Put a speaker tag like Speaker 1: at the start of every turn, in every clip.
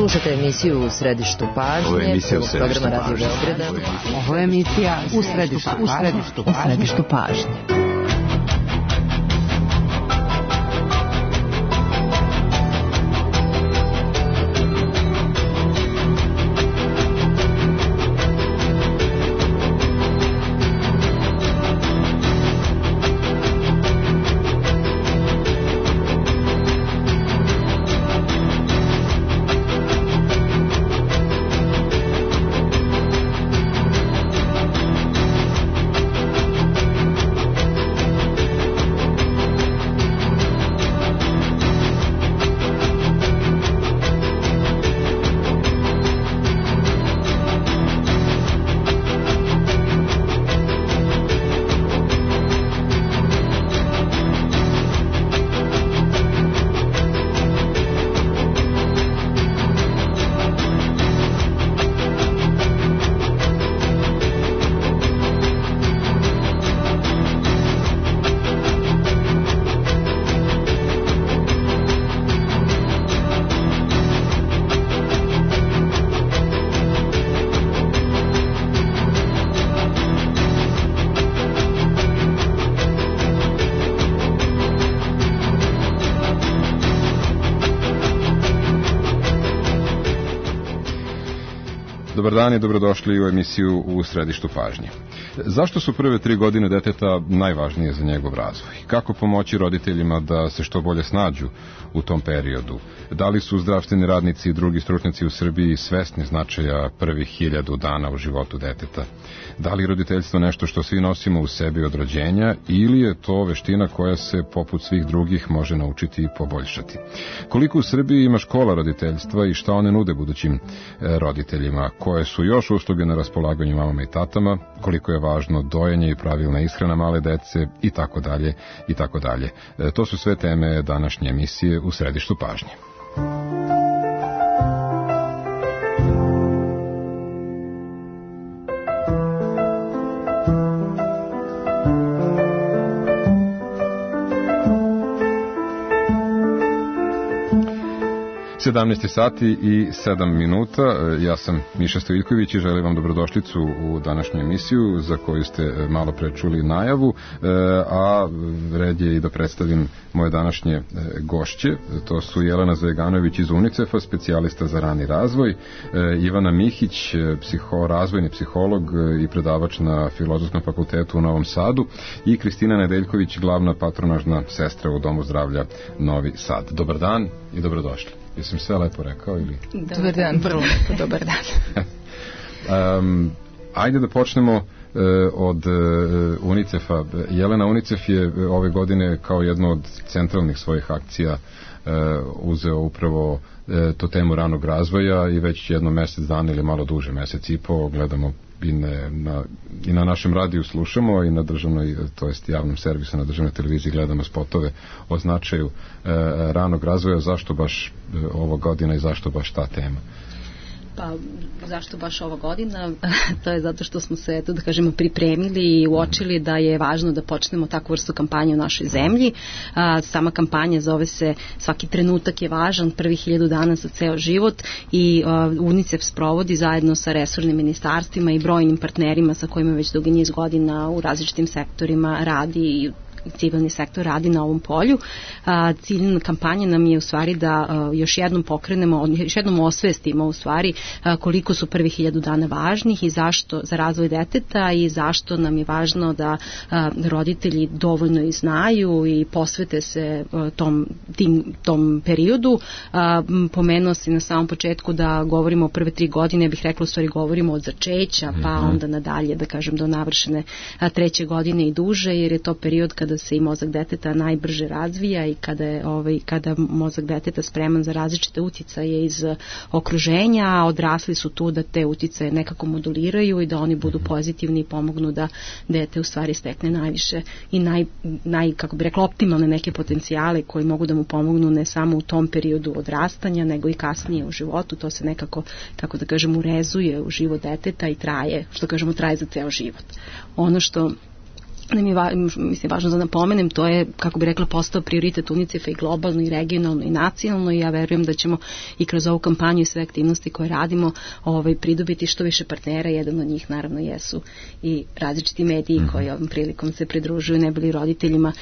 Speaker 1: Slušate emisiju U središtu pažnje, programa Radio Beograda.
Speaker 2: Ovo je emisija U središtu pažnje.
Speaker 3: Dobar dan i dobrodošli u emisiju U središtu pažnje. Zašto su prve 3 godine deteta najvažnije za njegov razvoj? Kako pomoći roditeljima da se što bolje snađu u tom periodu? Da li su zdravstveni radnici i drugi stručnjaci u Srbiji svesni značaja prvih 1000 dana u životu deteta? Da li je roditeljstvo nešto što svi nosimo u sebi od rođenja ili je to veština koja se poput svih drugih može naučiti i poboljšati? Koliko u Srbiji ima škola roditeljstva i šta one nude budućim roditeljima? Koje su još usluge na raspolaganju mamama i tatama? Koliko je važno dojenje i pravilna ishrana male dece i tako dalje i tako dalje. To su sve teme današnje emisije U središtu pažnje. Sati i 7 minuta. Ja sam Miša Stojiljković i želim vam dobrodošlicu u današnju emisiju za koju ste malo pre čuli najavu, a red je i da predstavim moje današnje gošće. To su Jelena Zajeganović iz UNICEF-a, specijalista za rani razvoj, Ivana Mihić, razvojni psiholog i predavač na Filozofskom fakultetu u Novom Sadu i Kristina Nedeljković, glavna patronažna sestra u Domu zdravlja Novi Sad. Dobar dan i dobrodošli. Jesam sve lepo rekao ili?
Speaker 2: Dobar dan, vrlo lepo, dobar dan.
Speaker 3: Ajde da počnemo od UNICEF-a. Jelena, UNICEF je ove godine kao jednu od centralnih svojih akcija uzeo upravo tu temu ranog razvoja i već jedno mesec dana ili malo duže, mesec i po, gledamo i na našem radiju slušamo i na državnoj, to jest javnom servisu na državnoj televiziji gledamo spotove o značaju ranog razvoja. Zašto baš ova godina i zašto baš ta tema?
Speaker 4: Pa, zašto baš ova godina? To je zato što smo se, da kažemo, pripremili i uočili da je važno da počnemo takvu vrstu kampanje u našoj zemlji. Sama kampanja zove se Svaki trenutak je važan, prvih 1000 dana za ceo život i UNICEF sprovodi zajedno sa resornim ministarstvima i brojnim partnerima sa kojima već dugi niz godina u različitim sektorima radi i civilni sektor radi na ovom polju. Cilj kampanje nam je u stvari da još jednom pokrenemo, još jednom osvestimo u stvari koliko su prvih 1000 dana važnih i zašto za razvoj deteta i zašto nam je važno da roditelji dovoljno i znaju i posvete se tom periodu. Pomenuo si na samom početku da govorimo o prve 3 godine, bih rekla u stvari govorimo od začeća pa onda nadalje, da kažem do navršene 3. godine i duže, jer je to period kada se i mozak deteta najbrže razvija i kada mozak deteta spreman za različite uticaje iz okruženja, a odrasli su tu da te uticaje nekako moduliraju i da oni budu pozitivni i pomognu da dete u stvari stekne najviše i kako bi rekla, optimalne neke potencijale koji mogu da mu pomognu ne samo u tom periodu odrastanja, nego i kasnije u životu. To se nekako, kako da kažem, urezuje u život deteta i traje, što kažemo, traje za ceo život. Ono što nam je mislim, važno da napomenem, to je, kako bi rekla, postao prioritet UNICEF-a i globalno i regionalno i nacionalno i ja verujem da ćemo i kroz ovu kampanju i sve aktivnosti koje radimo pridobiti što više partnera. Jedan od njih naravno jesu i različiti mediji koji ovom prilikom se pridružuju, ne bili roditeljima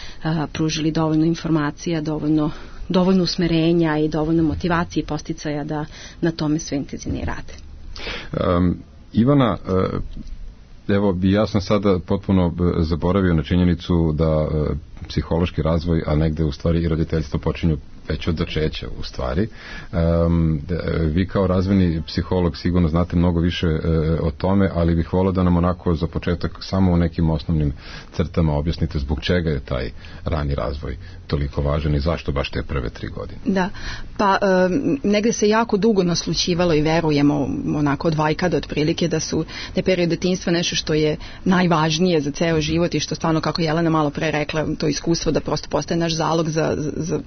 Speaker 4: pružili dovoljno informacija, dovoljno usmerenja i dovoljno motivacije i posticaja da na tome sve intenzivnije rade.
Speaker 3: Ivana, evo, ja sam sada potpuno zaboravio na činjenicu da psihološki razvoj, a negde u stvari i roditeljstvo počinju već od začeća u stvari. Vi kao razvojni psiholog sigurno znate mnogo više o tome, ali bih volio da nam onako za početak samo u nekim osnovnim crtama objasnite zbog čega je taj rani razvoj toliko važan i zašto baš te prve 3 godine.
Speaker 2: Da, pa negde se jako dugo naslućivalo i verujemo onako od vajkada otprilike da je period detinjstva nešto što je najvažnije za ceo život i što stvarno, kako Jelena malo pre rekla, to iskustvo da prosto postaje naš zalog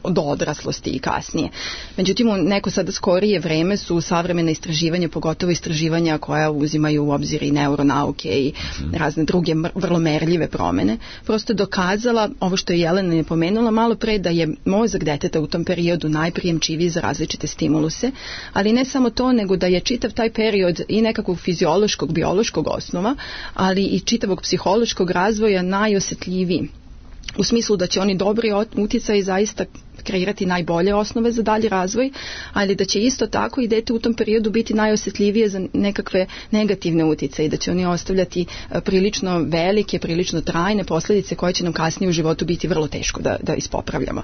Speaker 2: do odraslosti i kasnije. Međutim, u neko sada skorije vreme su savremena istraživanja, pogotovo istraživanja koja uzimaju u obzir i neuronauke i razne druge vrlo merljive promene, prosto dokazala ovo što je Jelena je pomenula malo pre, da je mozak deteta u tom periodu najprijemčiviji za različite stimuluse, ali ne samo to, nego da je čitav taj period i nekakvog fiziološkog, biološkog osnova, ali i čitavog psihološkog razvoja najosetljiviji. U smislu da će oni dobri utjecaj zaista kreirati najbolje osnove za dalji razvoj, ali da će isto tako i dete u tom periodu biti najosjetljivije za nekakve negativne utjecaje i da će oni ostavljati prilično velike, prilično trajne posljedice koje će nam kasnije u životu biti vrlo teško da ispopravljamo.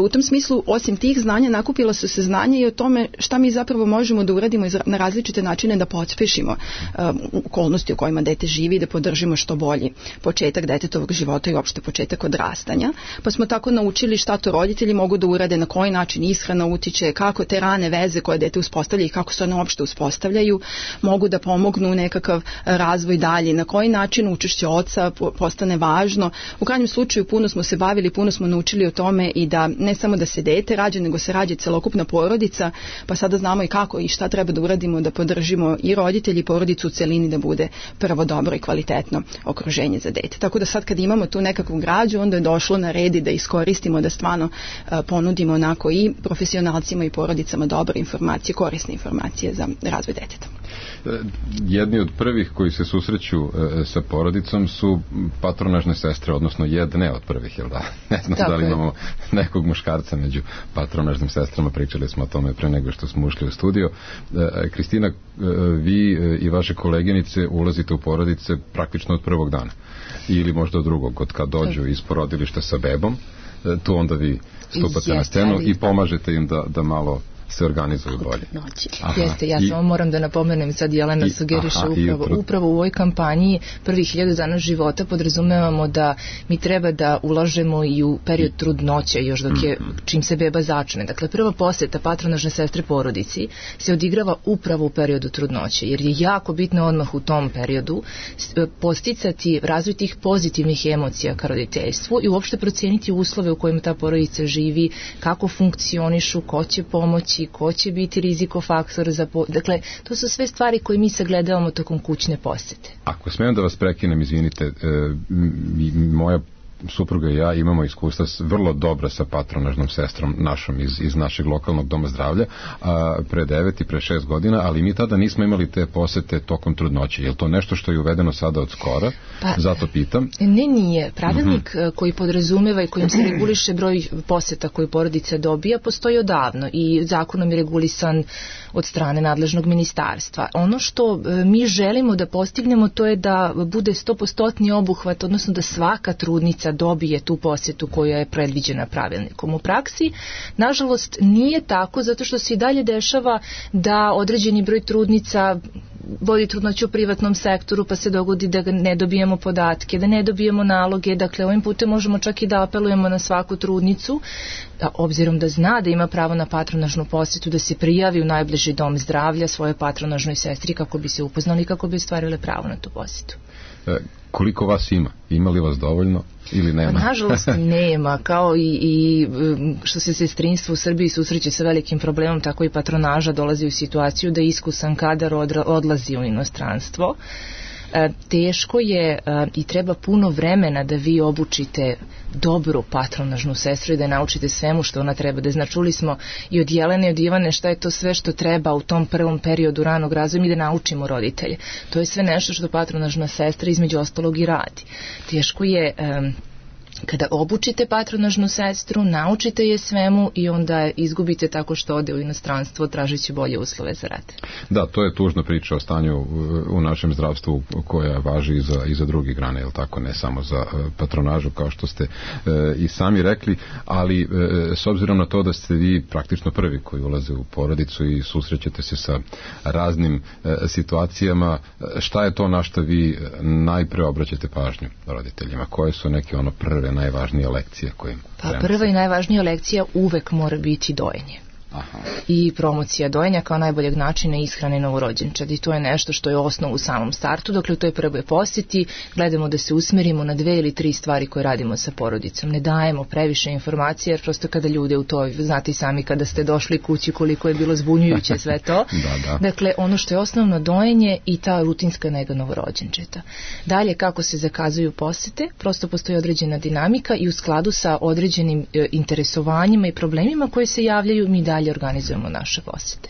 Speaker 2: U tom smislu, osim tih znanja, nakupila su se znanja i o tome šta mi zapravo možemo da uradimo na različite načine da pospešimo okolnosti u kojima dete živi i da podržimo što bolji početak detetovog života i uopšte početak odrastanja. Pa smo tako naučili šta to roditelji mogu da urade, na koji način ishrana utiče, kako te rane veze koje dete uspostavlja i kako se one uopšte uspostavljaju mogu da pomognu nekakav razvoj dalje, na koji način učešće oca postane važno. U krajnjem slučaju puno smo se bavili, puno smo naučili o tome i da ne samo da se dete rađa, nego se rađa celokupna porodica, pa sada znamo i kako i šta treba da uradimo da podržimo i roditelji i porodicu u celini da bude prvo dobro i kvalitetno okruženje za dete. Tako da sad kad imamo tu nekakvu građu, onda je došlo na red da iskoristimo, da stvarno ponudimo onako i profesionalcima i porodicama dobre informacije, korisne informacije za razvoj deteta.
Speaker 3: Jedni od prvih koji se susreću sa porodicom su patronažne sestre, odnosno jedne od prvih, jel da? Ne znam da li imamo nekog muškarca među patronažnim sestrama, pričali smo o tome pre nego što smo ušli u studio. Kristina, vi i vaše koleginice ulazite u porodice praktično od prvog dana ili možda od drugog, od kad dođu iz porodilišta sa bebom, tu onda vi stupate na scenu i pomažete im da malo se organizuju bolje.
Speaker 1: Jeste, ja samo moram da napomenem, sad Jelena sugeriše upravo u ovoj kampanji prvih 1000 dana života podrazumevamo da mi treba da ulažemo i u period trudnoće još dok je, čim se beba začne. Dakle, prva poseta patronažne sestre porodici se odigrava upravo u periodu trudnoće, jer je jako bitno odmah u tom periodu posticati razvoj tih pozitivnih emocija ka roditeljstvu i uopšte proceniti uslove u kojima ta porodica živi, kako funkcionišu, ko će pomoći, ko će biti rizikofaktor za... Dakle, to su sve stvari koje mi sagledavamo tokom kućne posete.
Speaker 3: Ako smijem da vas prekinem, izvinite, moja supruga i ja imamo iskustva vrlo dobra sa patronažnom sestrom našom iz našeg lokalnog doma zdravlja pre 9 i pre 6 godina, ali mi tada nismo imali te posete tokom trudnoće. Je li to nešto što je uvedeno sada od skora? Zato pitam.
Speaker 1: Nije. Pravilnik koji podrazumeva i kojim se reguliše broj poseta koju porodica dobija postoji odavno i zakonom je regulisan od strane nadležnog ministarstva. Ono što mi želimo da postignemo to je da bude 100% obuhvat, odnosno da svaka trudnica dobije tu posjetu koja je predviđena pravilnikom. U praksi, nažalost, nije tako, zato što se i dalje dešava da određeni broj trudnica vodi trudnoću u privatnom sektoru, pa se dogodi da ne dobijemo podatke, da ne dobijemo naloge. Dakle, ovim putem možemo čak i da apelujemo na svaku trudnicu, da obzirom da zna da ima pravo na patronažnu posjetu, da se prijavi u najbliži dom zdravlja svojoj patronažnoj sestri kako bi se upoznali i kako bi ostvarile pravo na tu posjetu.
Speaker 3: Koliko vas ima? Ima li vas dovoljno ili nema?
Speaker 1: Nažalost nema, kao i što se sestrinstvo u Srbiji susreće sa velikim problemom, tako i patronaža dolazi u situaciju da iskusan kadar odlazi u inostranstvo. teško je i treba puno vremena da vi obučite dobru patronažnu sestru i da naučite svemu što ona treba da zna. Čuli smo i od Jelene i od Ivane šta je to sve što treba u tom prvom periodu ranog razvoja i da naučimo roditelje. To je sve nešto što patronažna sestra između ostalog i radi. Teško je kada obučite patronažnu sestru, naučite je svemu i onda izgubite tako što ode u inostranstvo tražeći bolje uslove za rad.
Speaker 3: Da, to je tužna priča o stanju u našem zdravstvu koja važi i za drugi grane, jel tako, ne samo za patronažu kao što ste i sami rekli, ali s obzirom na to da ste vi praktično prvi koji ulaze u porodicu i susrećete se sa raznim situacijama, šta je to na što vi najpre obraćate pažnju roditeljima? Koje su neke prve najvažnije lekcije koje im prenose?
Speaker 1: Prva i najvažnija lekcija uvek mora biti dojenje.
Speaker 3: Aha.
Speaker 1: I promocija dojenja kao najboljeg načina ishrane novorođenčadi. I to je nešto što je osnov u samom startu. Dakle, u toj prvoj posjeti gledamo da se usmerimo na 2 ili 3 stvari koje radimo sa porodicom. Ne dajemo previše informacije, jer prosto kada ljude u to, znate i sami kada ste došli kući koliko je bilo zbunjujuće sve to.
Speaker 3: Da.
Speaker 1: Dakle, ono što je osnovno dojenje i ta rutinska nega novorođenčeta. Dalje, kako se zakazuju posete, prosto postoji određena dinamika i u skladu sa određenim interesovanjima i problemima koje se javljaju, mi dalje organizujemo naše posete.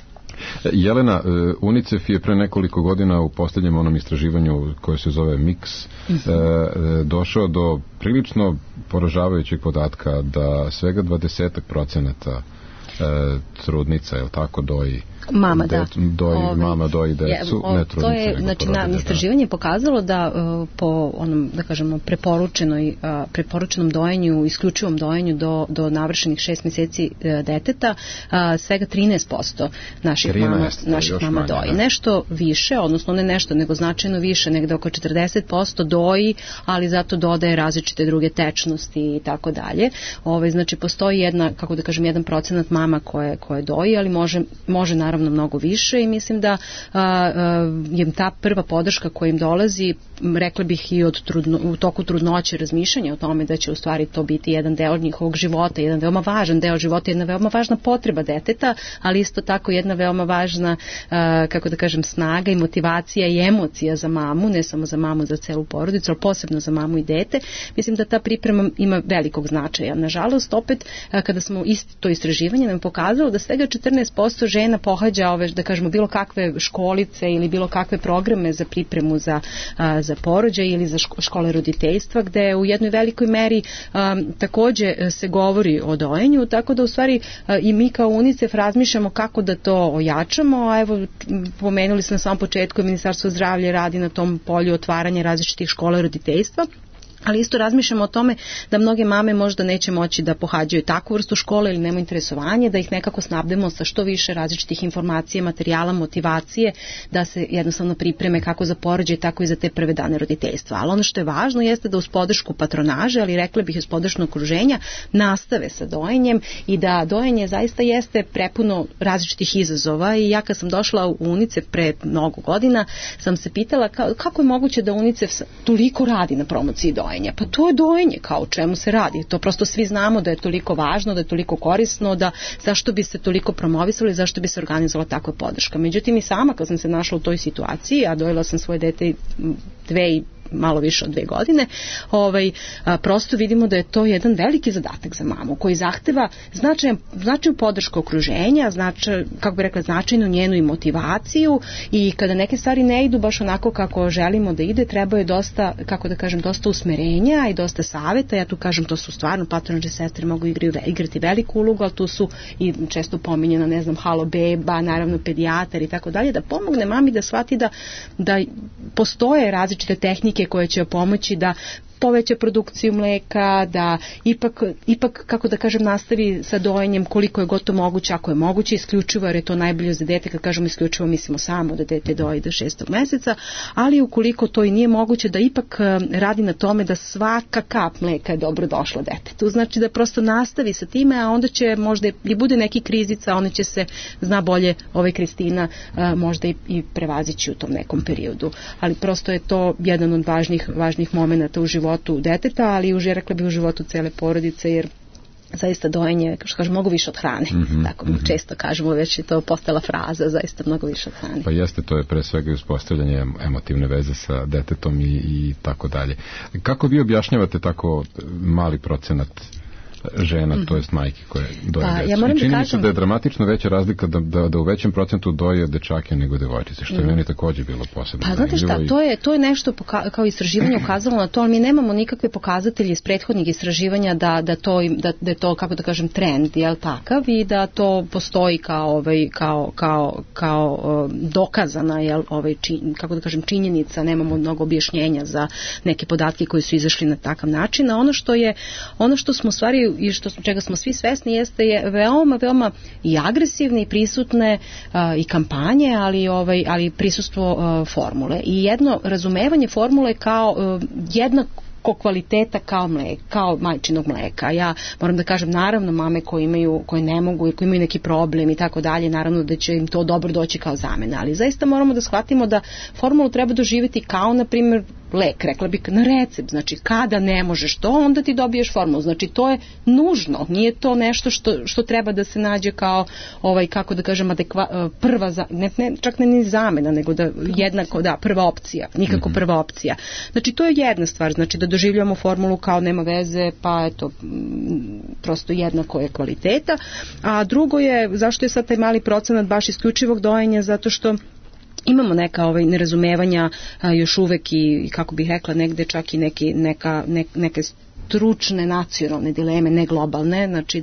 Speaker 3: Jelena, UNICEF je pre nekoliko godina u posljednjem onom istraživanju koje se zove MIX došao do prilično poražavajućeg podatka da svega 20% trudnica, je li tako, doji
Speaker 4: mama
Speaker 3: doji decu, ne trudnice.
Speaker 4: To je, znači, istraživanje je pokazalo da po onom, da kažemo, preporučenom dojenju, isključivom dojenju do navršenih 6 mjeseci deteta, svega 13% naših mama doji. Nešto više, odnosno ne nešto, nego značajno više, negde oko 40% doji, ali zato dodaje različite druge tečnosti i tako dalje. Znači, postoji jedan 1% mama koje doji, ali može naravno mnogo više i mislim da je ta prva podrška koja im dolazi, rekla bih i u toku trudnoće, razmišljanja o tome da će u stvari to biti jedan deo njihovog života, jedan veoma važan deo života, jedna veoma važna potreba deteta, ali isto tako jedna veoma važna, snaga i motivacija i emocija za mamu, ne samo za mamu, za celu porodicu, ali posebno za mamu i dete. Mislim da ta priprema ima velikog značaja. Nažalost, opet, kada smo to istraživanje nam pokazalo da svega 14% žena pohađa bilo kakve školice ili bilo kakve programe za pripremu za porođaj ili za škole roditeljstva, gde u jednoj velikoj meri takođe se govori o dojenju, tako da u stvari i mi kao UNICEF razmišljamo kako da to ojačamo, a evo pomenuli smo na samom početku, Ministarstvo zdravlja radi na tom polju otvaranja različitih škola roditeljstva. Ali isto razmišljamo o tome da mnoge mame možda neće moći da pohađaju takvu vrstu škole ili nemaju interesovanje, da ih nekako snabdemo sa što više različitih informacija, materijala, motivacije, da se jednostavno pripreme kako za porođaj, tako i za te prve dane roditeljstva. Ali ono što je važno jeste da uz podršku patronaže, ali rekla bih uz podršku okruženja, nastave sa dojenjem i da dojenje zaista jeste prepuno različitih izazova. I ja kad sam došla u UNICEF pre mnogo godina, sam se pitala kako je moguće da UNICEF toliko radi na promociji dojenja. Pa to je dojenje, kao o čemu se radi. To prosto svi znamo da je toliko važno, da je toliko korisno, da zašto bi se toliko promovisali, zašto bi se organizovala takva podrška. Međutim, i sama kad sam se našla u toj situaciji, a dojela sam svoje dete malo više od 2 godine, prosto vidimo da je to jedan veliki zadatak za mamu koji zahteva značajnu podršku okruženja, značajnu njenu i motivaciju, i kada neke stvari ne idu baš onako kako želimo da ide, treba je dosta, dosta usmerenja i dosta saveta. Ja tu kažem, to su stvarno patronažne sestre mogu igrati veliku ulogu, ali tu su i često pominjena, halo beba, naravno pedijatar i tako dalje, da pomogne mami da shvati da postoje različite tehnike koje će pomoći da poveća produkciju mleka, da ipak nastavi sa dojenjem koliko je gotovo moguće, ako je moguće, isključivo, jer je to najbolje za dete. Kad kažemo isključivo, mislimo samo da dete doji do 6. meseca, ali ukoliko to i nije moguće, da ipak radi na tome da svaka kap mleka je dobro došla detetu. Znači da prosto nastavi sa time, a onda će možda i bude neki krizica, ona će se, zna bolje Kristina, možda i prevazići u tom nekom periodu. Ali prosto je to jedan od važnih momenata u životu deteta, ali rekla bih u životu cele porodice, jer zaista dojenje, što kažem, mnogo više od hrane. Tako često kažemo, već je to postala fraza, zaista mnogo više od hrane.
Speaker 3: Pa jeste, to je pre svega uspostavljanje emotivne veze sa detetom i tako dalje. Kako vi objašnjavate tako mali procenat žena, to jest majke koje doje decu?
Speaker 4: Ja moram
Speaker 3: I čini
Speaker 4: da
Speaker 3: mi se da je dramatično veća razlika da u većem procentu doje dečake nego devojčice, što je meni takođe bilo posebno.
Speaker 4: Pa znate šta, to je nešto kao istraživanje ukazalo na to, ali mi nemamo nikakve pokazatelje iz prethodnih istraživanja da je to, kako da kažem, trend, jel takav, i da to postoji kao dokazana, jel, kako da kažem, činjenica, nemamo mnogo objašnjenja za neke podatke koji su izašli na takav način, a ono što smo u stvari i čega smo svi svesni jeste je veoma i agresivne i prisutne i kampanje, ali prisustvo formule i jedno razumevanje formule kao jednako kvaliteta kao majčinog mleka. Ja moram da kažem, naravno, mame koje ne mogu i koje imaju neki problem i tako dalje, naravno da će im to dobro doći kao zamena, ali zaista moramo da shvatimo da formulu treba doživjeti kao, na primjer, lek, rekla bih, na recept. Znači, kada ne možeš to, onda ti dobiješ formulu. Znači, to je nužno. Nije to nešto što treba da se nađe kao, kako da kažem, prva, čak ne ni zamena, nego da jednako, prva opcija. Nikako prva opcija. Znači, to je jedna stvar. Znači, da doživljamo formulu kao nema veze, pa eto, prosto jednako je kvaliteta. A drugo je, zašto je sad taj mali procenat baš isključivog dojenja? Zato što imamo neka nerazumevanja još uvek i, kako bih rekla, negde čak i neke stručne nacionalne dileme, ne globalne, znači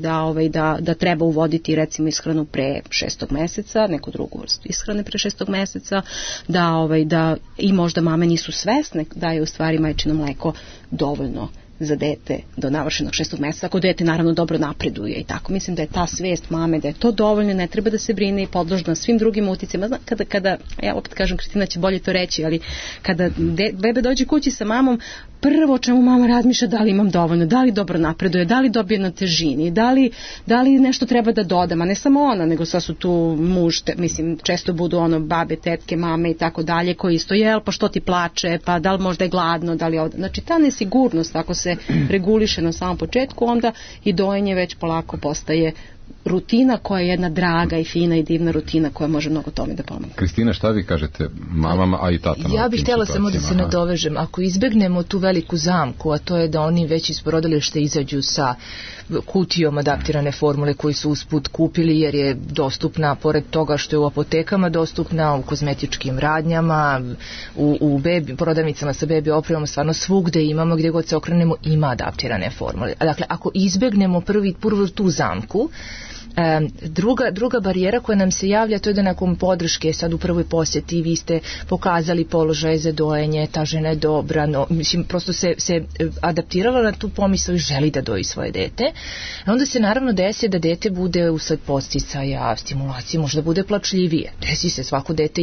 Speaker 4: da treba uvoditi recimo ishranu pre 6. meseca, neku drugu vrstu ishrane pre 6. meseca, da i možda mame nisu svesne da je u stvari majčino mleko dovoljno za dete do navršenog 6. meseca, ako dete naravno dobro napreduje i tako. Mislim da je ta svest mame da je to dovoljno, ne treba da se brine i podložna svim drugim uticima. Kada ja opet kažem, Kristina će bolje to reći, ali kada bebe dođe kući sa mamom, prvo o čemu mama razmišlja, da li imam dovoljno, da li dobro napreduje, da li dobije na težini, da li nešto treba da dodam, a ne samo ona, nego sad su tu muž, mislim, često budu babe, tetke, mame i tako dalje, koji isto, pa što ti plače, pa da li možda je gladno, da li ovdje. Znači, ta nesigurnost, ako se reguliše na samom početku, onda i dojenje već polako postaje rutina koja je jedna draga i fina i divna rutina koja može mnogo tome da pomogne.
Speaker 3: Kristina, šta vi kažete mamama, a i tatama?
Speaker 1: Ja bih htjela samo da se nadovežem. Ako izbegnemo tu veliku zamku, a to je da oni već iz porodilišta izađu sa kutijom adaptirane formule koju su usput kupili, jer je dostupna, pored toga što je u apotekama dostupna, u kozmetičkim radnjama, u prodavnicama sa bebi opremom, stvarno svugde imamo, gdje god se okrenemo ima adaptirane formule. Dakle, ako izbegnemo prvu tu zamku, druga barijera koja nam se javlja, to je da nakon podrške sad u prvoj posjeti vi ste pokazali položaj za dojenje, ta žena je dobra, mislim, prosto se adaptirala na tu pomisao i želi da doji svoje dete. Onda se naravno desi da dete bude usled podsticaja, stimulacije, možda bude plačljivije. Desi se, svako dete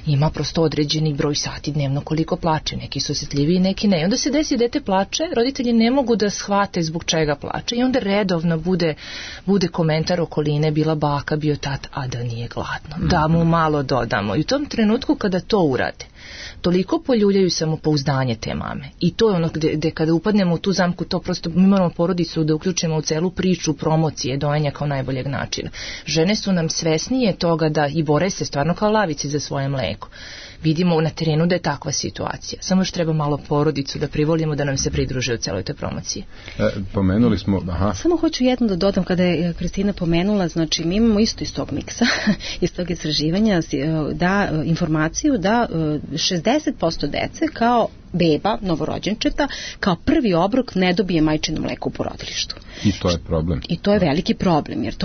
Speaker 1: ima prosto određeni broj sati dnevno koliko plače, neki su osjetljiviji, neki ne. I onda se desi dete plače, roditelji ne mogu da shvate zbog čega plače i onda redovno bude komentar okoline, bila baka, bio tat, a da nije gladno, da mu malo dodamo. I u tom trenutku kada to urade, toliko poljuljaju samopouzdanje te mame. I to je ono gde kada upadnemo u tu zamku, to prosto mi moramo porodicu da uključimo u celu priču promocije dojenja kao najboljeg načina. Žene su nam svesnije toga da i bore se stvarno kao lavice za svoje mleko. Vidimo na terenu da je takva situacija. Samo još treba malo porodicu da privolimo da nam se pridruže u celoj toj promociji.
Speaker 3: Pomenuli smo...
Speaker 4: Samo hoću jedno da dodam kada je Kristina pomenula, znači mi imamo isto iz tog miksa, iz tog istraživanja, informaciju da 60% dece kao beba, novorođenčeta, kao prvi obrok ne dobije majčino mleko u porodilištu.
Speaker 3: I to je problem.
Speaker 4: I to je veliki problem, jer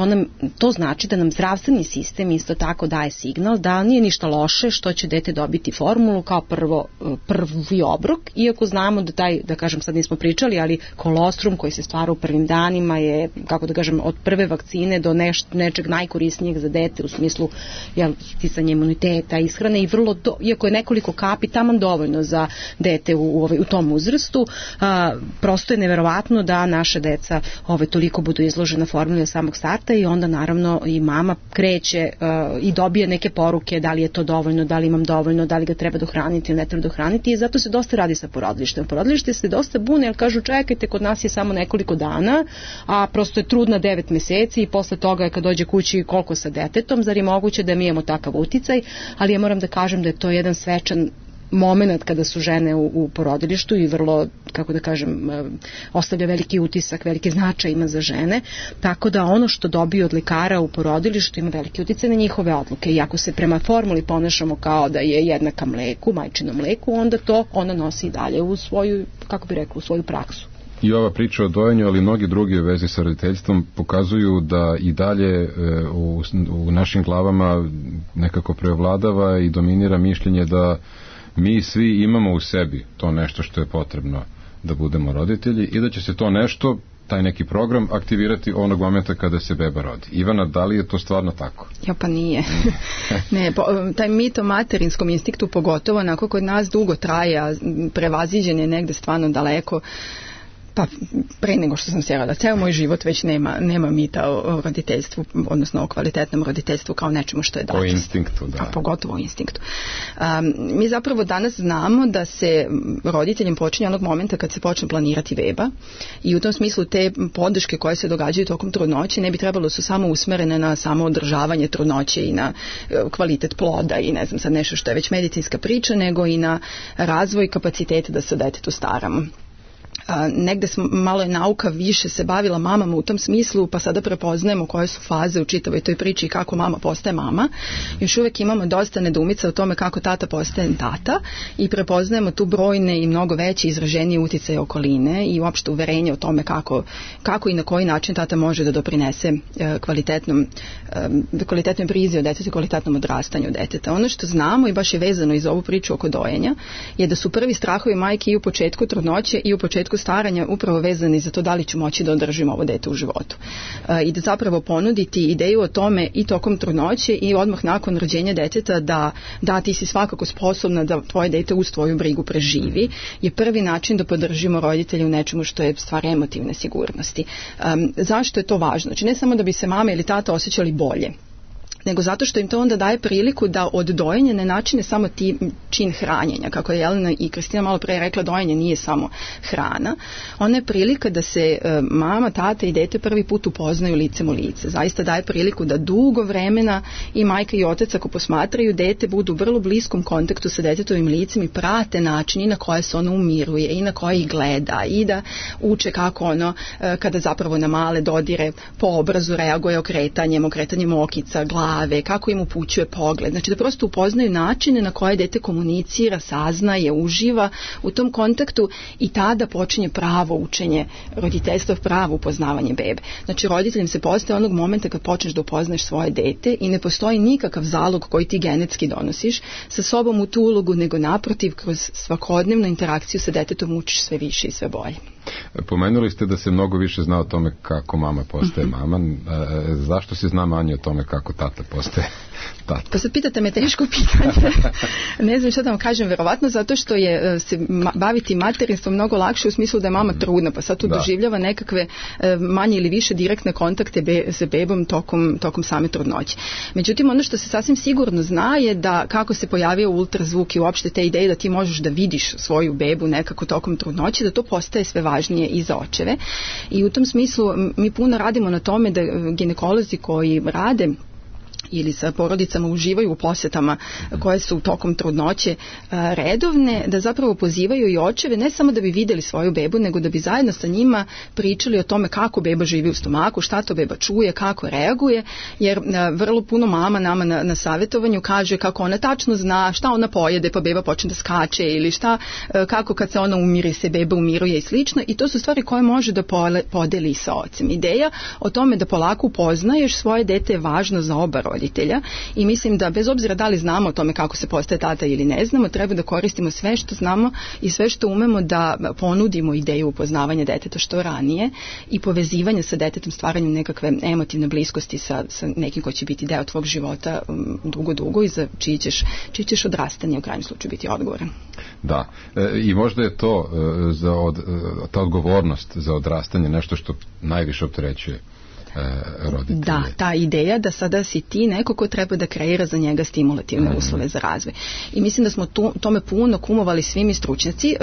Speaker 4: to znači da nam zdravstveni sistem isto tako daje signal da nije ništa loše što će dete dobiti formulu kao prvi obrok, iako znamo da da kažem, sad nismo pričali, ali kolostrum koji se stvara u prvim danima je, kako da kažem, od prve vakcine do nečeg najkorisnijeg za dete u smislu sticanja imuniteta, ishrane i iako je nekoliko kapi taman dovoljno za dete u tom uzrastu, prosto je neverovatno da naše deca toliko budu izložena formuli od samog starta i onda naravno i mama kreće i dobije neke poruke da li je to dovoljno, da li imam dovoljno, da li ga treba dohraniti ili ne treba dohraniti i zato se dosta radi sa porodilištem. Porodilište se dosta bune jer kažu čekajte, kod nas je samo nekoliko dana, a prosto je trudna 9 meseci i posle toga kad dođe kući koliko sa detetom, zar je moguće da mi imamo takav uticaj, ali ja moram da kažem da je to jedan svečan moment kada su žene u porodilištu i vrlo, kako da kažem, ostavlja veliki utisak, veliki značaj ima za žene, tako da ono što dobiju od lekara u porodilištu ima veliki uticaj na njihove odluke i ako se prema formuli ponašamo kao da je jednaka mleku, majčinom mleku, onda to ona nosi i dalje u svoju, kako bi rekla, u svoju praksu.
Speaker 3: I ova priča o dojenju, ali mnogi drugi u vezi sa roditeljstvom pokazuju da i dalje u našim glavama nekako preovladava i dominira mišljenje da mi svi imamo u sebi to nešto što je potrebno da budemo roditelji i da će se to nešto, taj neki program, aktivirati onog momenta kada se beba rodi. Ivana, da li je to stvarno tako?
Speaker 2: Ja, pa nije. Ne, taj mit o materinskom instinktu pogotovo onako kod nas dugo traje, a prevaziđen je negde stvarno daleko. Pa pre nego što sam se rodila, ceo moj život već nema mita o roditeljstvu, odnosno o kvalitetnom roditeljstvu kao nečemu što je dato.
Speaker 3: O instinktu, da.
Speaker 2: Pa pogotovo o instinktu. Mi zapravo danas znamo da se roditeljem počinje onog momenta kad se počne planirati beba i u tom smislu te podrške koje se događaju tokom trudnoće ne bi trebalo su samo usmerene na samo održavanje trudnoće i na kvalitet ploda i ne znam sad nešto što je već medicinska priča, nego i na razvoj kapaciteta da se o detetu staramo. Negde smo, malo je nauka više se bavila mamama u tom smislu, pa sada prepoznajemo koje su faze u čitavoj toj priči i kako mama postaje mama. Još uvek imamo dosta nedoumica o tome kako tata postaje tata i prepoznajemo tu brojne i mnogo veće izraženije uticaje okoline i uopšte uverenje o tome kako i na koji način tata može da doprinese kvalitetnoj brizi o detetu, kvalitetnom odrastanju deteta. Ono što znamo i baš je vezano iz ovu priču oko dojenja je da su prvi strahovi majke i u početku trudnoće i u početku staranja upravo vezani za to da li ću moći da održim ovo dete u životu. I da zapravo ponuditi ideju o tome i tokom trudnoće i odmah nakon rođenja deteta da ti si svakako sposobna da tvoje dete uz tvoju brigu preživi je prvi način da podržimo roditelje u nečemu što je stvar emotivne sigurnosti. Zašto je to važno? Znači ne samo da bi se mama ili tata osjećali bolje, nego zato što im to onda daje priliku da od dojenja ne načine samo čin hranjenja. Kako je Jelena i Kristina malo pre rekla, dojenje nije samo hrana. Ona je prilika da se mama, tata i dete prvi put upoznaju licem u lice. Zaista daje priliku da dugo vremena i majka i otac, ako posmatraju dete, budu u vrlo bliskom kontaktu sa detetovim licem i prate način na koje se ono umiruje i na koje ih gleda i da uče kako ono, kada zapravo na male dodire po obrazu reaguje okretanjem okica, glave, kako im upućuje pogled. Znači da prosto upoznaju načine na koje dete komunicira, saznaje, uživa u tom kontaktu i tada počinje pravo učenje roditeljstva, pravo upoznavanje bebe. Znači roditeljem se postaje onog momenta kad počneš da upoznaš svoje dete i ne postoji nikakav zalog koji ti genetski donosiš sa sobom u tu ulogu, nego naprotiv kroz svakodnevnu interakciju sa detetom učiš sve više i sve bolje.
Speaker 3: Pomenuli ste da se mnogo više zna o tome kako mama postaje mama. Zašto se zna manje o tome kako tata postaje tata?
Speaker 2: Pa sad pitate me teško pitanje. Ne znam što da vam kažem, verovatno zato što je se baviti materinstvom mnogo lakše u smislu da je mama trudna, pa sad tu doživljava nekakve manje ili više direktne kontakte sa bebom tokom same trudnoće. Međutim, ono što se sasvim sigurno zna je da kako se pojavio ultrazvuk i uopšte te ideje da ti možeš da vidiš svoju bebu nekako tokom trudnoće, da to postaje sve važnije i za očeve. I u tom smislu mi puno radimo na tome da ginekolozi koji rade ili sa porodicama uživaju u posjetama koje su tokom trudnoće redovne, da zapravo pozivaju i očeve ne samo da bi vidjeli svoju bebu, nego da bi zajedno sa njima pričali o tome kako beba živi u stomaku, šta to beba čuje, kako reaguje, jer vrlo puno mama nama na savjetovanju kaže kako ona tačno zna šta ona pojede pa beba počne da skače ili kako kad se ona umiri se beba umiruje i slično, i to su stvari koje može da podeli sa ocem. Ideja o tome da polako upoznaješ svoje dete je važno za oba roditelja i mislim da bez obzira da li znamo o tome kako se postaje tata ili ne znamo, treba da koristimo sve što znamo i sve što umemo da ponudimo ideju upoznavanja deteta što ranije i povezivanja sa detetom, stvaranjem nekakve emotivne bliskosti sa nekim ko će biti deo tvog života dugo i za čiji ćeš odrastanje u krajnjem slučaju biti odgovoran.
Speaker 3: Da, i možda je to ta odgovornost za odrastanje nešto što najviše opterećuje roditelje.
Speaker 2: Da, ta ideja da sada si ti neko ko treba da kreira za njega stimulativne uslove za razvoj. I mislim da smo tome puno kumovali svi mi stručnjaci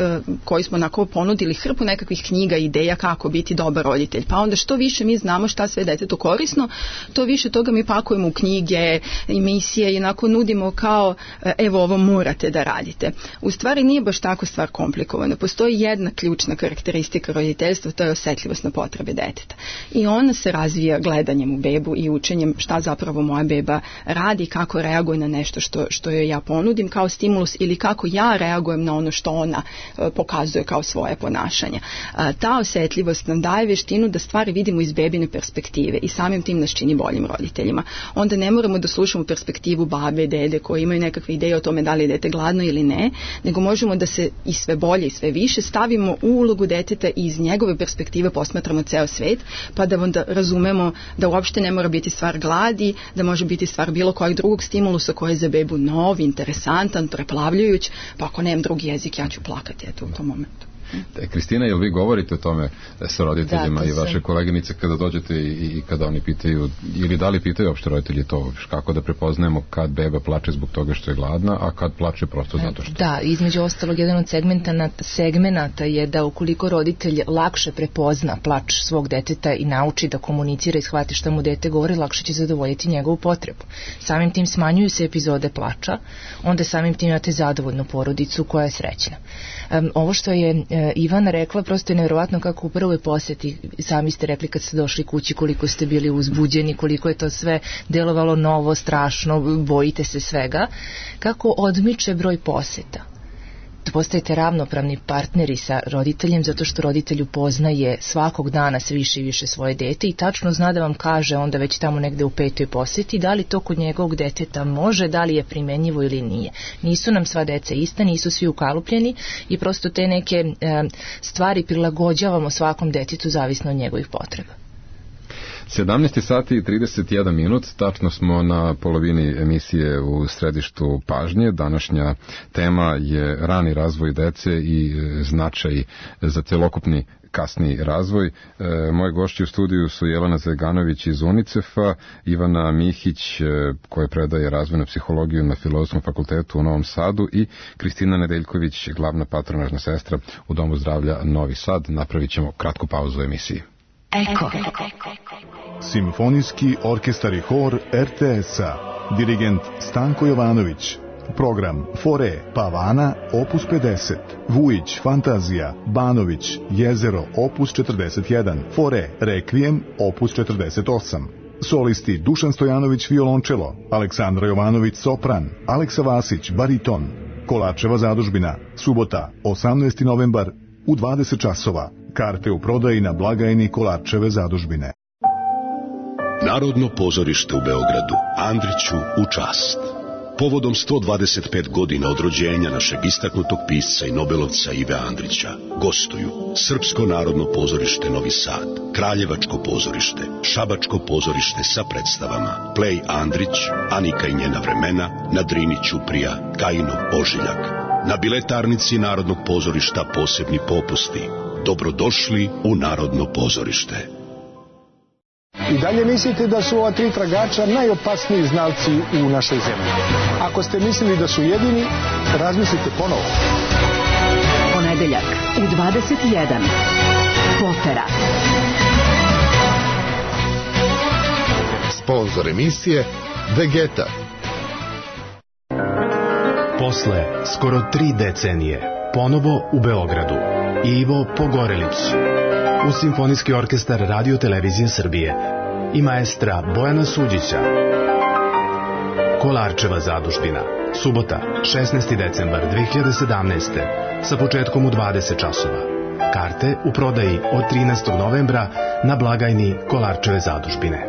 Speaker 2: koji smo onako ponudili hrpu nekakvih knjiga, ideja kako biti dobar roditelj. Pa onda što više mi znamo šta sve detetu korisno, to više toga mi pakujemo u knjige, emisije i onako nudimo kao evo ovo morate da radite. U stvari nije baš tako stvar komplikovana. Postoji jedna ključna karakteristika roditeljstva, to je osetljivost na potrebe deteta. I ona se razvija gledanjem u bebu i učenjem šta zapravo moja beba radi, kako reaguje na nešto što joj ja ponudim kao stimulus ili kako ja reagujem na ono što ona pokazuje kao svoje ponašanje. Ta osetljivost nam daje veštinu da stvari vidimo iz bebine perspektive i samim tim nas čini boljim roditeljima. Onda ne moramo da slušamo perspektivu babe, dede koji imaju nekakve ideje o tome da li je dete gladno ili ne, nego možemo da se i sve bolje i sve više stavimo u ulogu deteta i iz njegove perspektive posmatramo ceo svet, pa da onda razumemo da uopšte ne mora biti stvar gladi, da može biti stvar bilo kojeg drugog stimulusa koji je za bebu nov, interesantan, preplavljujuć, pa ako nemam drugi jezik ja ću plakati u tom momentu.
Speaker 3: Kristina, jel vi govorite o tome sa roditeljima i vaše koleginice kada dođete i kada oni pitaju, ili da li pitaju uopšte roditelji to, kako da prepoznajemo kad beba plače zbog toga što je gladna, a kad plače prosto zato što...
Speaker 1: Da, između ostalog, jedan od segmenata je da ukoliko roditelj lakše prepozna plač svog deteta i nauči da komunicira i shvati šta mu dete govori, lakše će zadovoljiti njegovu potrebu. Samim tim smanjuju se epizode plača, onda samim tim imate zadovoljnu porodicu koja je srećna. Ovo što je Ivana rekla, prosto je nevjerovatno kako u prvoj poseti, sami ste rekli kad ste došli kući koliko ste bili uzbuđeni, koliko je to sve delovalo novo, strašno, bojite se svega, kako odmiče broj poseta. Postajete ravnopravni partneri sa roditeljem zato što roditelj upoznaje svakog dana sve više i više svoje dete i tačno zna da vam kaže onda već tamo negde u 5. poseti da li to kod njegovog deteta može, da li je primenjivo ili nije. Nisu nam sva deca ista, nisu svi ukalupljeni i prosto te neke stvari prilagođavamo svakom detetu zavisno od njegovih potreba.
Speaker 3: 17 sati i 31 minut, tačno smo na polovini emisije u središtu pažnje. Današnja tema je rani razvoj dece i značaj za celokupni kasni razvoj. Moje gošće u studiju su Jelena Zeganović iz UNICEF-a, Ivana Mihić koja predaje razvojnu psihologiju na Filozofskom fakultetu u Novom Sadu i Kristina Nedeljković, glavna patronažna sestra u Domu zdravlja Novi Sad. Napravit ćemo kratku pauzu u emisiji.
Speaker 5: Eko. Simfonijski orkestar i hor RTS-a. Dirigent Stanko Jovanović. Program Fore Pavana opus 50. Vujić Fantazija Banović Jezero opus 41. Fore Rekvijem opus 48. Solisti Dušan Stojanović violončelo, Aleksandra Jovanović sopran, Aleksa Vasić bariton. Kolarčeva zadužbina. Subota 18. novembar u 20 časova. Karte u prodaji na blagajni Kolarčeve zadužbine.
Speaker 6: Narodno pozorište u Beogradu, Andriću u čast. Povodom 125 godina od rođenja našeg istaknutog pisca i nobelovca Ive Andrića gostuju Srpsko narodno pozorište Novi Sad, Kraljevačko pozorište, Šabačko pozorište sa predstavama Plej Andrić, Anika i njena vremena, na Drini Ćuprija, Kajinov Ožiljak. Na biletarnici Narodnog pozorišta posebni popusti. Dobrodošli u Narodno pozorište.
Speaker 7: I dalje mislite da su ova 3 tragača najopasniji znalci u našoj zemlji. Ako ste mislili da su jedini, razmislite ponovo.
Speaker 8: Ponedeljak u 21. Potera.
Speaker 9: Sponzor emisije Vegeta.
Speaker 10: Posle skoro 3 decenije ponovo u Beogradu Ivo Pogorelić uz Simfonijski orkestar Radio Televizije Srbije i maestra Bojana Suđića. Kolarčeva zadužbina. Subota, 16. decembar 2017. sa početkom u 20 časova. Karte u prodaji od 13. novembra na blagajni Kolarčeve zadužbine.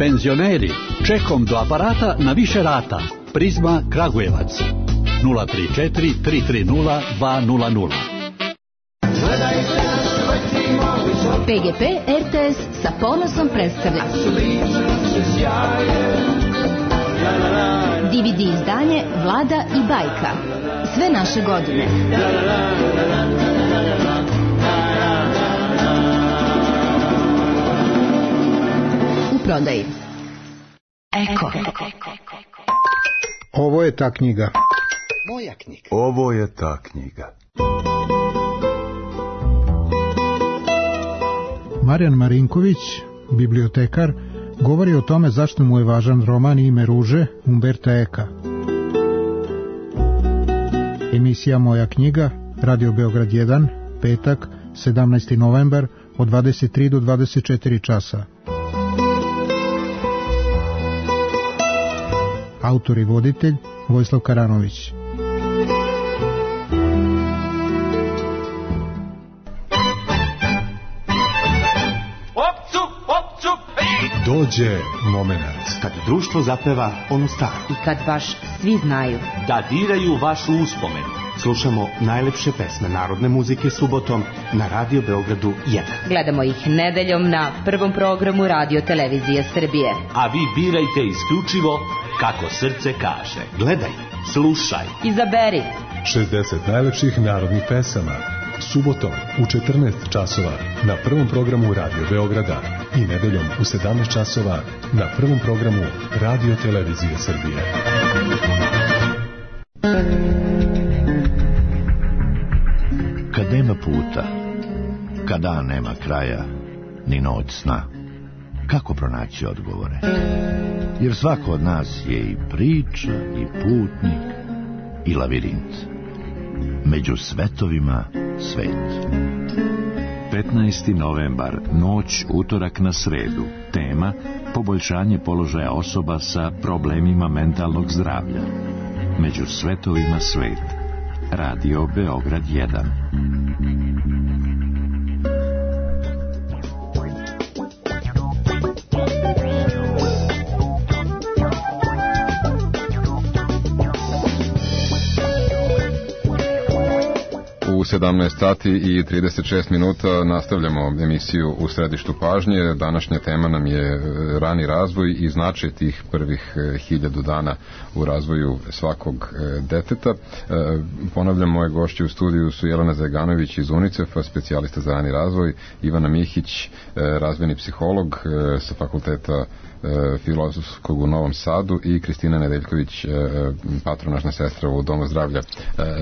Speaker 11: Penzioneri, čekom do aparata na više rata. Prizma Kragujevac 034 330 200.
Speaker 8: PGP RTS sa ponosom predstavlja DVD izdanje Vlada i Bajka. Sve naše godine. U prodaji. Eko.
Speaker 7: Ovo je ta knjiga.
Speaker 12: Moja knjiga.
Speaker 13: Ovo je ta knjiga.
Speaker 7: Marijan Marinković, bibliotekar, govori o tome zašto mu je važan roman Ime ruže Umberta Eka. Emisija Moja knjiga, Radio Beograd 1, petak, 17. novembar, od 23 do 24 časa. Autor i voditelj Vojislav Karanović.
Speaker 14: Dođe moment
Speaker 15: kad društvo zapeva onu staru
Speaker 16: i kad baš svi znaju
Speaker 15: da diraju vašu uspomenu. Slušamo najlepše pesme narodne muzike subotom na Radio Beogradu 1.
Speaker 16: Gledamo ih nedeljom na prvom programu Radio Televizije Srbije.
Speaker 15: A vi birajte isključivo kako srce kaže. Gledaj, slušaj,
Speaker 16: izaberi
Speaker 14: 60 najlepših narodnih pesama subotom u 14 časova na prvom programu Radio Beograda i nedeljom u 17 časova na prvom programu Radio Televizije Srbije.
Speaker 17: Kad nema puta, kad dan nema kraja, ni noć sna, kako pronaći odgovore? Jer svako od nas je i priča, i putnik, i lavirint. Među svetovima svet.
Speaker 18: 15. novembar, noć utorak na sredu. Tema: poboljšanje položaja osoba sa problemima mentalnog zdravlja. Među svetovima svet. Radio Beograd 1.
Speaker 3: U 17 sati i 36 minuta nastavljamo emisiju U središtu pažnje. Današnja tema nam je rani razvoj i značaj tih prvih 1000 dana u razvoju svakog deteta. Ponavljam, moje gošće u studiju su Jelena Zajganović iz UNICEF-a, specijalista za rani razvoj, Ivana Mihić, razvojni psiholog sa fakulteta filozofskog u Novom Sadu i Kristina Nedeljković, patronažna sestra u Domu zdravlja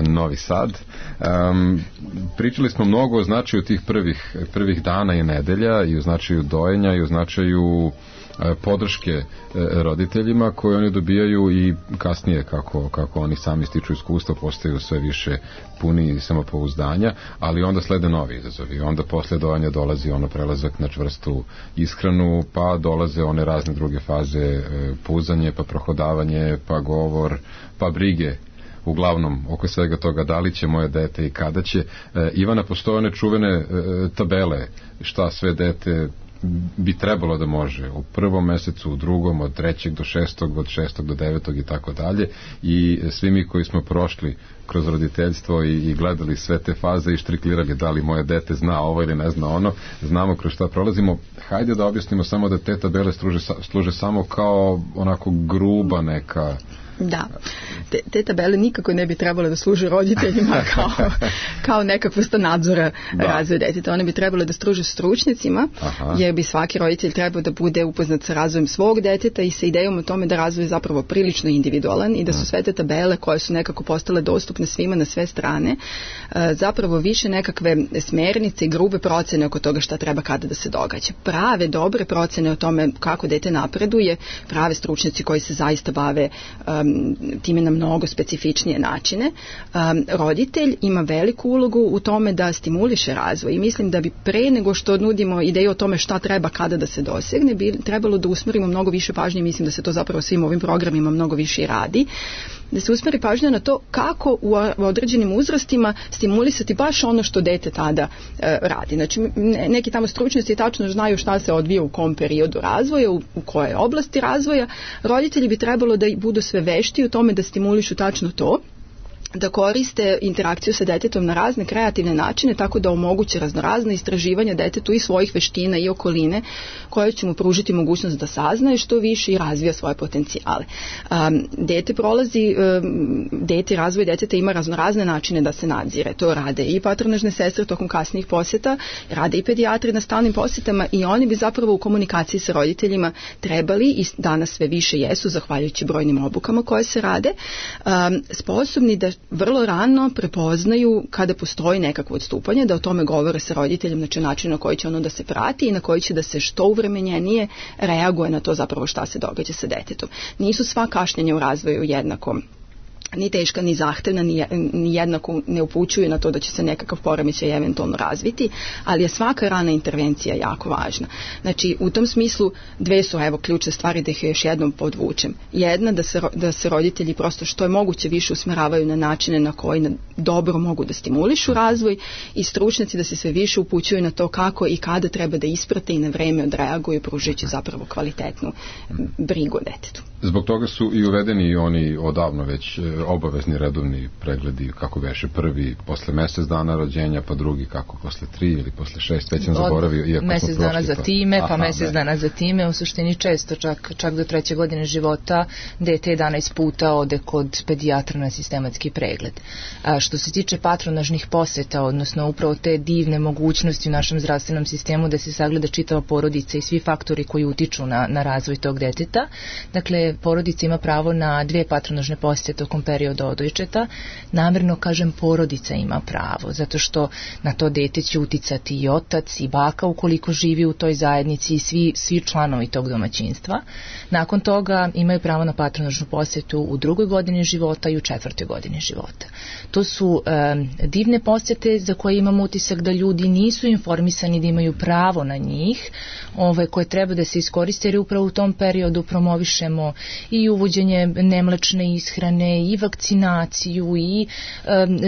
Speaker 3: Novi Sad. Pričali smo mnogo o značaju tih prvih dana i nedelja i o značaju dojenja i o značaju podrške roditeljima koje oni dobijaju i kasnije kako oni sami stiču iskustva, postaju sve više puni samopouzdanja, ali onda slede novi izazovi. Onda posle dojanja dolazi ono prelazak na čvrstu ishranu, pa dolaze one razne druge faze, puzanje, pa prohodavanje, pa govor, pa brige uglavnom oko svega toga, da li će moje dete i kada će. Ivana, postoje one čuvene tabele šta sve dete bi trebalo da može u prvom mesecu, u drugom, od 3. do 6. od 6. do 9. i tako dalje, i svi mi koji smo prošli kroz roditeljstvo i gledali sve te faze i štriklirali da li moje dete zna ovo ili ne zna ono, znamo kroz šta prolazimo. Hajde da objasnimo samo da te tabele služe samo kao onako gruba neka.
Speaker 2: Da, te tabele nikako ne bi trebalo da služe roditeljima kao nekakva vrsta nadzora razvoja deteta. One bi trebalo da služe stručnjacima, jer bi svaki roditelj trebao da bude upoznat sa razvojem svog deteta i sa idejom o tome da razvoj je zapravo prilično individualan i da su sve te tabele koje su nekako postale dostupne svima na sve strane zapravo više nekakve smernice i grube procene oko toga šta treba kada da se događa. Prave, dobre procene o tome kako dete napreduje, prave stručnjaci koji se zaista bave time na mnogo specifičnije načine. Roditelj ima veliku ulogu u tome da stimuliše razvoj i mislim da bi pre nego što nudimo ideju o tome šta treba kada da se dosegne, bi trebalo da usmerimo mnogo više pažnje, mislim da se to zapravo svim ovim programima mnogo više radi, da se usmeri pažnja na to kako u određenim uzrastima stimulisati baš ono što dete tada radi. Znači, neki tamo stručnjaci tačno znaju šta se odvija u kom periodu razvoja, u kojoj oblasti razvoja. Roditelji bi trebalo da budu sve vešti u tome da stimulišu tačno to, da koriste interakciju sa detetom na razne kreativne načine, tako da omoguće raznorazne istraživanja detetu i svojih veština i okoline, koje će mu pružiti mogućnost da saznaje što više i razvija svoje potencijale. Razvoj deteta ima raznorazne načine da se nadzire. To rade i patronažne sestre tokom kasnijih posjeta, rade i pedijatri na stalnim posjetama i oni bi zapravo u komunikaciji sa roditeljima trebali, i danas sve više jesu, zahvaljujući brojnim obukama koje se rade, sposobni da vrlo rano prepoznaju kada postoji nekakvo odstupanje, da o tome govore sa roditeljem, znači način na koji će ono da se prati i na koji će da se što uvremenjenije reaguje na to zapravo šta se događa sa detetom. Nisu sva kašnjenja u razvoju jednako ni teška, ni zahtevna, ni jednako ne upućuju na to da će se nekakav poremećaj eventualno razviti, ali je svaka rana intervencija jako važna. Znači, u tom smislu dve su ključne stvari, da ih još jednom podvučem. Jedna, da se roditelji prosto što je moguće više usmeravaju na načine na koji dobro mogu da stimulišu razvoj, i stručnjaci da se sve više upućuju na to kako i kada treba da isprate i na vreme odreaguju, pružajući zapravo kvalitetnu brigu o detetu.
Speaker 3: Zbog toga su i uvedeni i oni odavno već obavezni redovni pregledi, kako beše, prvi posle mesec dana rođenja, pa drugi kako posle 3 ili posle 6, već sam zaboravio.
Speaker 1: Mesec dana za time, pa mesec dana za time, u suštini često, čak do 3. godine života, dete 11 puta ode kod pedijatra na sistematski pregled. Što se tiče patronažnih poseta, odnosno upravo te divne mogućnosti u našem zdravstvenom sistemu da se sagleda čitava porodica i svi faktori koji utiču na razvoj tog deteta, dakle, porodica ima pravo na 2 patronažne posete tokom perioda odojčeta. Namerno kažem porodica ima pravo, zato što na to dete će uticati i otac i baka ukoliko živi u toj zajednici i svi članovi tog domaćinstva. Nakon toga imaju pravo na patronažnu posetu u 2. godini života i u 4. godini života. To su divne posete za koje imamo utisak da ljudi nisu informisani da imaju pravo na njih, koje treba da se iskoriste, jer upravo u tom periodu promovišemo i uvođenje nemlečne ishrane, i vakcinaciju, i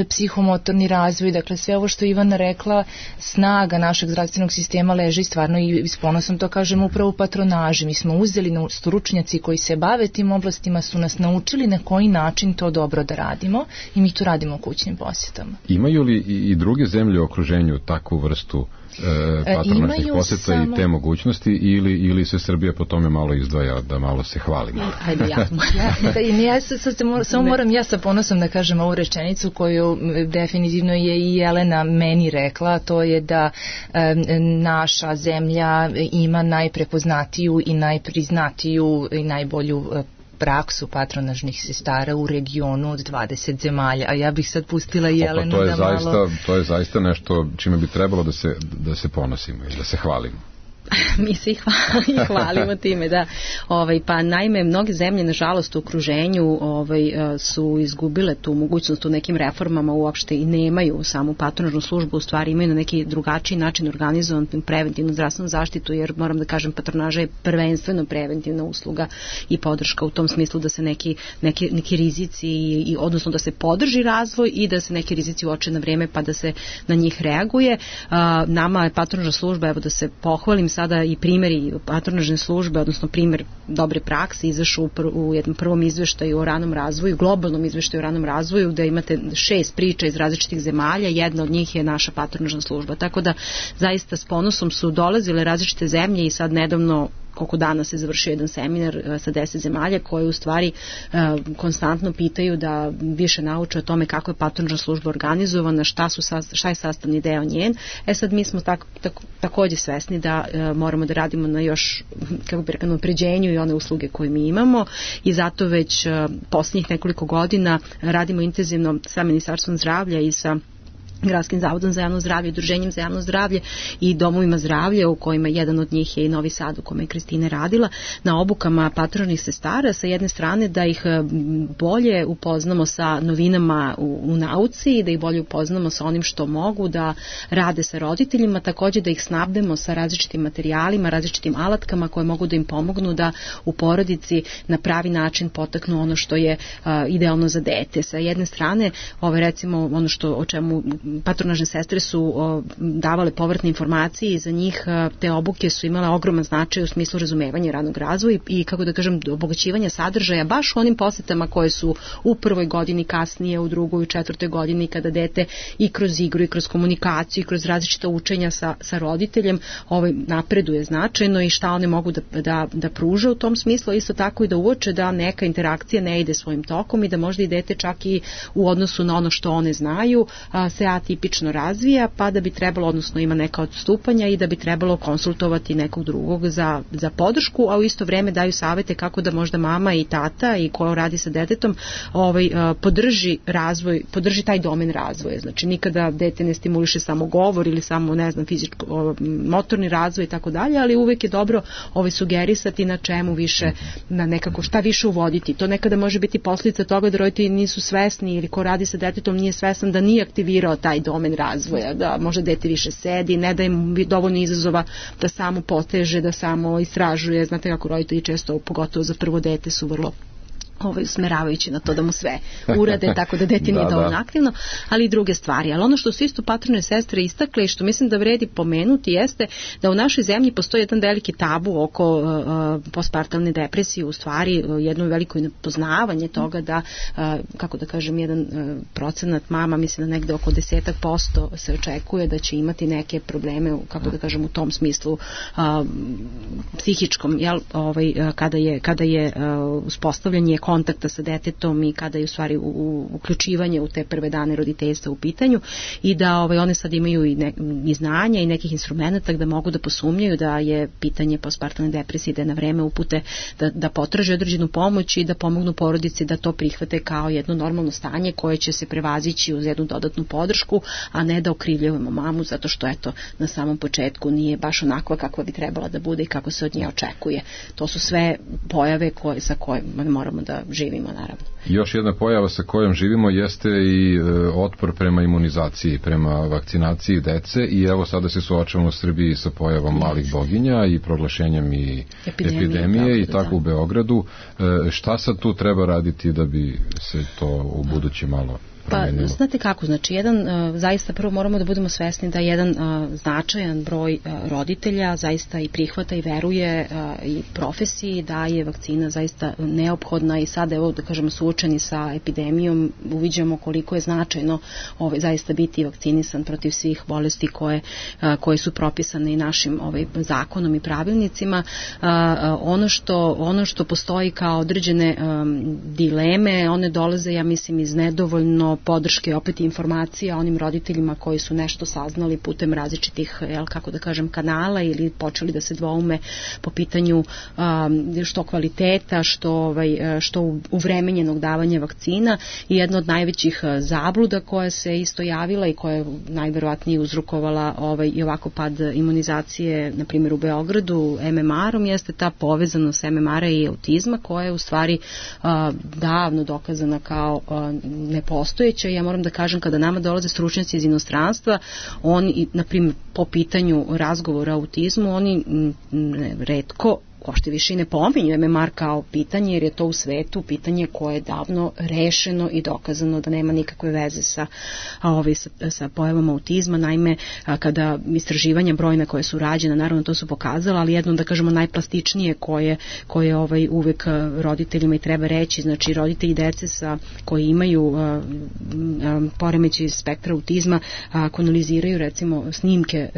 Speaker 1: psihomotorni razvoj. Dakle, sve ovo što Ivana rekla, snaga našeg zdravstvenog sistema leži stvarno, i s ponosom to kažem, upravo u patronaži. Mi smo uzeli, stručnjaci koji se bave tim oblastima su nas naučili na koji način to dobro da radimo, i mi to radimo u kućnim posjetama.
Speaker 3: Imaju li i druge zemlje u okruženju takvu vrstu patronažnih poseta i te mogućnosti, ili se Srbija po tome malo izdvaja, da malo se hvalimo?
Speaker 1: Ajde, samo moram ja sa ponosom da kažem ovu rečenicu koju definitivno je i Jelena meni rekla, to je da naša zemlja ima najprepoznatiju i najpriznatiju i najbolju praksu patronažnih sestara u regionu od 20 zemalja, a ja bih sad pustila Jelenu da malo...
Speaker 3: To je zaista nešto čime bi trebalo da se ponosimo i da se hvalimo.
Speaker 4: Mi se i hvalimo time, da. Pa naime, mnoge zemlje, nažalost, u okruženju su izgubile tu mogućnost u nekim reformama, uopšte i nemaju samu patronažnu službu, u stvari imaju na neki drugačiji način organizovan preventivnu zdravstvenu zaštitu, jer moram da kažem, patronaža je prvenstveno preventivna usluga i podrška u tom smislu da se neki rizici, odnosno da se podrži razvoj i da se neki rizici uoče na vreme pa da se na njih reaguje. Nama je patronažna služba, evo da se pohvalim, sada i primjeri patronažne službe, odnosno primjer dobre prakse izašao u jednom prvom izveštaju o ranom razvoju, globalnom izveštaju o ranom razvoju, da imate 6 priča iz različitih zemalja, jedna od njih je naša patronažna služba. Tako da zaista s ponosom su dolazile različite zemlje i sad nedavno, koliko dana se završio jedan seminar sa 10 zemalja koje u stvari konstantno pitaju da više nauče o tome kako je patronažna služba organizovana, šta je sastavni deo njen. Sad mi smo također svesni da moramo da radimo na još, kako bi rekao, unapređenju i one usluge koje mi imamo, i zato već posljednjih nekoliko godina radimo intenzivno sa Ministarstvom zdravlja i sa Gradskim zavodom za javno zdravlje, Udruženjem za javno zdravlje i domovima zdravlja, u kojima jedan od njih je i Novi Sad, u kome je Kristina radila, na obukama patronažnih sestara, sa jedne strane da ih bolje upoznamo sa novinama u nauci i da ih bolje upoznamo sa onim što mogu da rade sa roditeljima, takođe da ih snabdemo sa različitim materijalima, različitim alatkama koje mogu da im pomognu da u porodici na pravi način potaknu ono što je idealno za dete. Sa jedne strane, recimo ono o čemu patronažne sestre su davale povratne informacije i za njih te obuke su imale ogroman značaj u smislu razumevanja radnog razvoja i kako da kažem obogaćivanja sadržaja baš u onim posetama koje su u prvoj godini, kasnije u drugoj, u četvrtoj godini, kada dete i kroz igru i kroz komunikaciju i kroz različita učenja sa roditeljem napreduje značajno i šta one mogu da pruže u tom smislu, isto tako i da uoče da neka interakcija ne ide svojim tokom i da možda i dete čak i u odnosu na ono što one znaju se atipično razvija, pa da bi trebalo, odnosno ima neka odstupanja i da bi trebalo konsultovati nekog drugog za podršku, a u isto vreme daju savete kako da možda mama i tata i ko radi sa detetom podrži razvoj, podrži taj domen razvoja. Znači nikada dete ne stimuliše samo govor ili samo, ne znam, motorni razvoj i tako dalje, ali uvek je dobro sugerisati na čemu više, na nekako šta više uvoditi. To nekada može biti posljedica toga da roditelji nisu svesni ili ko radi sa detetom nije svesan da nije aktivirao taj domen razvoja, da možda dete više sedi, ne da im dovoljno izazova da samo poteže, da samo istražuje. Znate kako roditelji često, pogotovo za prvo dete, su vrlo usmeravajući na to da mu sve urade, tako da dete nije dovoljno aktivno, ali i druge stvari. Ali ono što su isto patrone sestre istakle i što mislim da vredi pomenuti jeste da u našoj zemlji postoji jedan veliki tabu oko postpartalne depresije, u stvari jedno veliko nepoznavanje toga da, kako da kažem, jedan procenat mama, mislim da negde oko 10% se očekuje da će imati neke probleme, kako da kažem, u tom smislu psihičkom, jel, kada je uspostavljanje kontakta sa detetom i kada je u stvari uključivanje u te prve dane roditeljstva u pitanju i da one sad imaju i znanja i nekih instrumenta da mogu da posumnjaju da je pitanje postpartalne depresije, da je na vreme upute da potraže određenu pomoć i da pomognu porodici da to prihvate kao jedno normalno stanje koje će se prevazići uz jednu dodatnu podršku, a ne da okrivljujemo mamu zato što eto na samom početku nije baš onakva kakva bi trebala da bude i kako se od nje očekuje. To su sve pojave sa kojima moramo da živimo, naravno.
Speaker 3: Još jedna pojava sa kojom živimo jeste i otpor prema imunizaciji, prema vakcinaciji dece i evo sada se suočavamo u Srbiji sa pojavom malih boginja i proglašenjem i epidemije i tako u Beogradu. Šta sad tu treba raditi da bi se to u buduće malo promenilo?
Speaker 4: Pa, znate kako, znači zaista prvo moramo da budemo svesni da jedan značajan broj roditelja zaista i prihvata i veruje i profesiji da je vakcina zaista neophodna i sada evo da kažemo suočeni sa epidemijom uviđamo koliko je značajno zaista biti vakcinisan protiv svih bolesti koje su propisane i našim zakonom i pravilnicima. Ono što postoji kao određene dileme, one dolaze, ja mislim, iz nedovoljno podrške opet informacija onim roditeljima koji su nešto saznali putem različitih, kako da kažem, kanala ili počeli da se dvoume po pitanju što kvaliteta, što uvremenjenog davanja vakcina i jedna od najvećih zabluda koja se isto javila i koja je najverovatnije uzrokovala i ovako pad imunizacije, na primjer u Beogradu, MMR-om, jeste ta povezanost MMR-a i autizma koja je u stvari davno dokazana kao nepostojeća. Ja moram da kažem, kada nama dolaze stručnjaci iz inostranstva, oni, na primjer, po pitanju razgovora o autizmu, oni retko uopšte više i ne pominju MMR kao pitanje, jer je to u svetu pitanje koje je davno rešeno i dokazano da nema nikakve veze sa pojavom autizma. Naime, kada istraživanja brojna koje su rađena, naravno to su pokazala, ali jedno, da kažemo, najplastičnije koje uvek roditeljima i treba reći, znači roditelji dece koji imaju poremećaj spektra autizma, ako analiziraju recimo snimke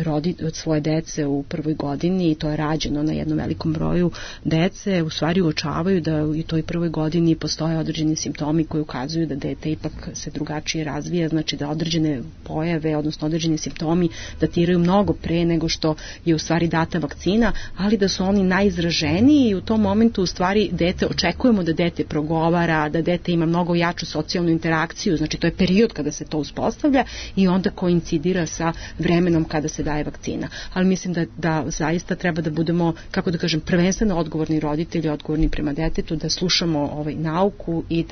Speaker 4: od svoje dece u prvoj godini, i to je rađeno na jednom velikom broju broju dece u stvari uočavaju da u toj prvoj godini postoje određeni simptomi koji ukazuju da dete ipak se drugačije razvija, znači da određene pojave, odnosno određeni simptomi datiraju mnogo pre nego što je u stvari data vakcina, ali da su oni najizraženiji i u tom momentu u stvari očekujemo da dete progovara, da dete ima mnogo jaču socijalnu interakciju, znači to je period kada se to uspostavlja i onda koincidira sa vremenom kada se daje vakcina. Ali mislim da zaista treba da budemo, kako da kažem, prvenstveno odgovorni roditelji, odgovorni prema detetu, da slušamo nauku i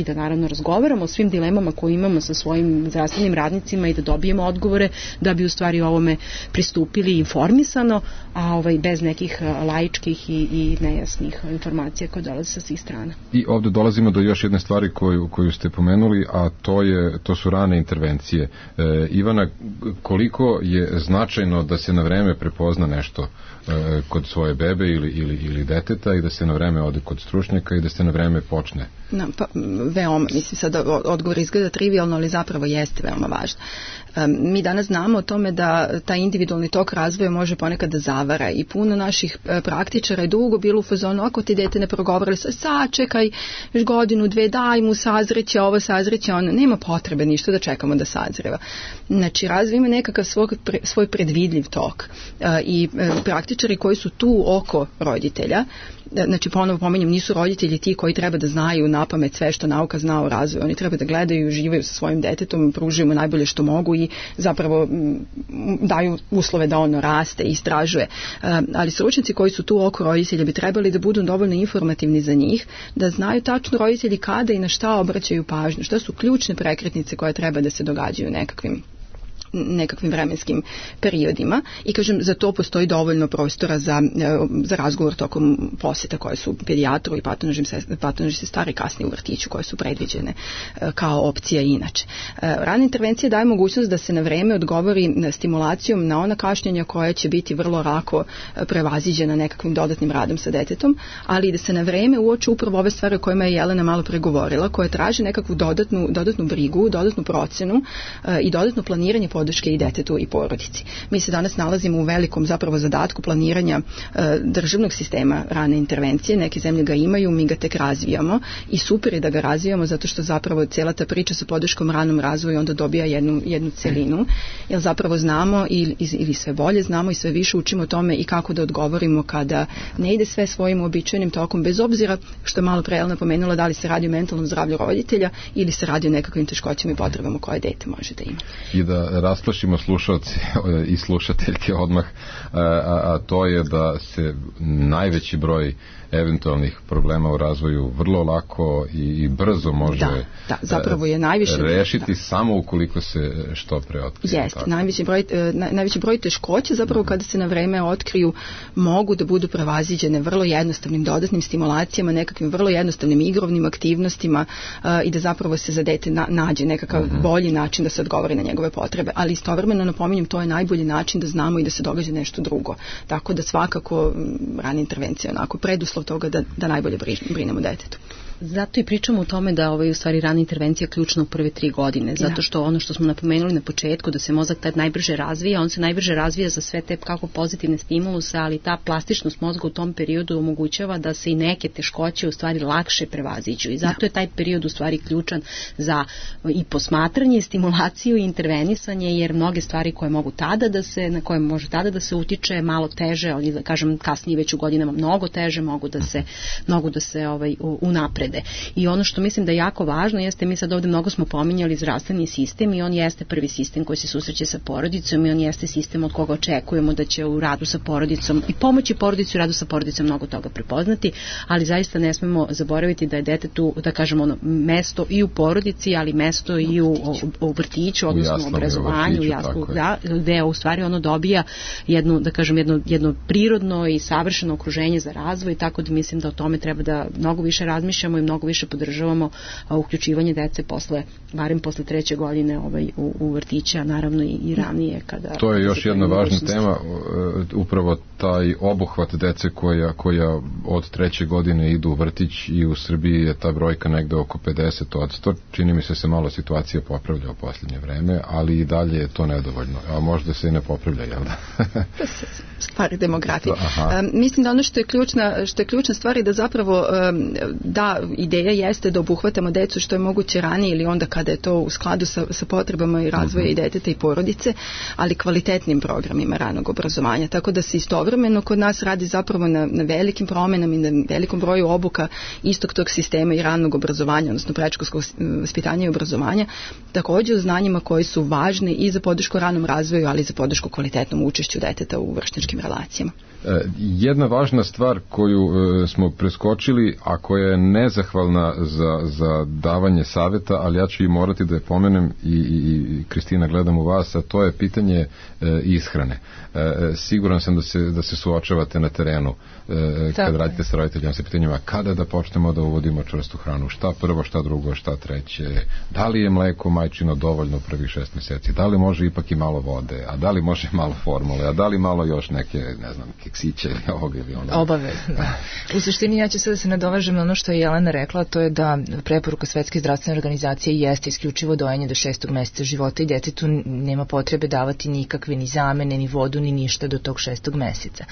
Speaker 4: da naravno razgovaramo o svim dilemama koje imamo sa svojim zdravstvenim radnicima i da dobijemo odgovore da bi u stvari ovome pristupili informisano, a bez nekih laičkih i nejasnih informacija koje dolaze sa svih strana.
Speaker 3: I ovde dolazimo do još jedne stvari koju ste pomenuli, a to su rane intervencije. Ivana, koliko je značajno da se na vreme prepozna nešto kod svoje bebe ili deteta i da se na vreme ode kod stručnjaka i da se na vreme počne?
Speaker 2: Veoma, mislim sada odgovor izgleda trivialno, ali zapravo jeste veoma važno. Mi danas znamo o tome da taj individualni tok razvoja može ponekad da zavara i puno naših praktičara je dugo bilo u fazonu, ako ti dete ne progovara, sačekaj još godinu, dve, daj mu sazreće ovo, sazreće ono, nema potrebe ništa da čekamo da sazreva. Znači razvoj ima nekakav svoj predvidljiv tok i praktičari koji su tu oko roditelja, znači ponovo pomenjem, nisu roditelji ti koji treba da znaju napamet sve što nauka zna o razvoju, oni treba da gledaju i uživaju sa svojim detetom, pružaju mu najbolje što mogu i zapravo daju uslove da ono raste i istražuje. Ali stručnjaci koji su tu oko roditelja bi trebali da budu dovoljno informativni za njih, da znaju tačno roditelji kada i na šta obraćaju pažnju, šta su ključne prekretnice koje treba da se događaju u nekakvim vremenskim periodima i kažem, za to postoji dovoljno prostora za razgovor tokom posjeta koje su pedijatru i patonožni sestari kasnije u vrtiću koje su predviđene kao opcija inače. Rana intervencija daje mogućnost da se na vreme odgovori stimulacijom na ona kašnjenja koja će biti vrlo lako prevaziđena nekakvim dodatnim radom sa detetom, ali i da se na vreme uoče upravo ove stvari o kojima je Jelena malo pregovorila, koje traže nekakvu dodatnu brigu, dodatnu procenu i dodatno planiranje podrške i detetu i porodici. Mi se danas nalazimo u velikom zapravo zadatku planiranja državnog sistema rane intervencije. Neke zemlje ga imaju, mi ga tek razvijamo i super je da ga razvijamo zato što zapravo cijela ta priča sa podrškom ranom razvoju onda dobija jednu celinu, jer zapravo znamo ili sve bolje znamo i sve više učimo o tome i kako da odgovorimo kada ne ide sve svojim uobičajenim tokom, bez obzira što je malo pre Jelena pomenula da li se radi o mentalnom zdravlju roditelja ili se radi o nekakvim teškoćama i potrebama koje dete može da ima.
Speaker 3: I da rasplašimo slušalce i slušateljke odmah, a to je da se najveći broj eventualnih problema u razvoju vrlo lako i brzo može
Speaker 2: zapravo je najviše
Speaker 3: rešiti samo ukoliko se što pre otkrije.
Speaker 2: Jeste, najveći broj teškoća zapravo kada se na vreme otkriju mogu da budu prevaziđene vrlo jednostavnim dodatnim stimulacijama, nekakvim vrlo jednostavnim igrovnim aktivnostima i da zapravo se za dete nađe nekakav bolji način da se odgovori na njegove potrebe, ali istovremeno napominjem, to je najbolji način da znamo i da se događa nešto drugo. Tako da svakako rana intervencija onako preduslov toga da najbolje brinemo detetu.
Speaker 4: Zato i pričamo o tome da u stvari rana intervencija ključna u prve 3 godine, zato što ono što smo napomenuli na početku, da se mozak tad najbrže razvija, on se najbrže razvija za sve te kako pozitivne stimuluse, ali ta plastičnost mozga u tom periodu omogućava da se i neke teškoće u stvari lakše prevaziđu i zato je taj period u stvari ključan za i posmatranje, stimulaciju i intervenisanje, jer mnoge stvari koje mogu na koje može tada da se utiče malo teže, ali da kažem kasnije već u godinama mnogo teže mogu da se unaprede. I ono što mislim da je jako važno jeste, mi sad ovde mnogo smo pominjali zdravstveni sistem i on jeste prvi sistem koji se susreće sa porodicom i on jeste sistem od koga očekujemo da će u radu sa porodicom i pomoći porodici u radu sa porodicom mnogo toga prepoznati, ali zaista ne smemo zaboraviti da je detetu, da kažemo mesto i u porodici, ali mesto i u vrtiću, odnosno u obrazovanju, gde u stvari ono dobija jedno prirodno i savršeno okruženje za razvoj, tako da mislim da o tome treba da mnogo više razmišljamo i mnogo više podržavamo uključivanje dece barem posle 3. godine u vrtiće, a naravno i ranije.
Speaker 3: To je još jedna važna tema, upravo taj obuhvat dece koja od 3. godine idu u vrtić, i u Srbiji je ta brojka negde oko 50%. Čini mi se malo situacija popravlja u posljednje vreme, ali i dalje je to nedovoljno. A možda se i ne popravlja, jel da?
Speaker 2: Stvari demografije. Mislim da ono što je ključna stvar je da zapravo ideja jeste da obuhvatamo decu što je moguće ranije ili onda kada je to u skladu sa potrebama i razvoja i deteta i porodice, ali kvalitetnim programima ranog obrazovanja. Tako da se istovremeno kod nas radi zapravo na velikim promenama i na velikom broju obuka istog tog sistema i ranog obrazovanja, odnosno predškolskog vaspitanja i obrazovanja, također u znanjima koji su važni i za podršku ranom razvoju, ali i za podršku kvalitetnom učešću deteta u vršnjačkim relacijama.
Speaker 3: Jedna važna stvar koju smo preskočili, a koja je nezahvalna za davanje savjeta, ali ja ću i morati da je pomenem, i Kristina, gledam u vas, a to je pitanje ishrane. Siguran sam da se suočavate na terenu kad radite sa roditeljima sa pitanjima kada da počnemo da uvodimo čvrstu hranu, šta prvo, šta drugo, šta treće, da li je mleko majčino dovoljno u prvih 6 mjeseci, da li može ipak i malo vode, a da li može malo formule, a da li malo još neke, ne znam, keksiće ili ovoga ili onoga.
Speaker 1: Obavezno. U suštini ja ću sada se nadovežem na ono što je Jelena rekla, to je da preporuka Svetske zdravstvene organizacije jeste isključivo dojenje do 6. mjeseca života i detetu nema potrebe davati nikakve ni zamene, ni vodu, ni ništa do tog 6. mjeseca.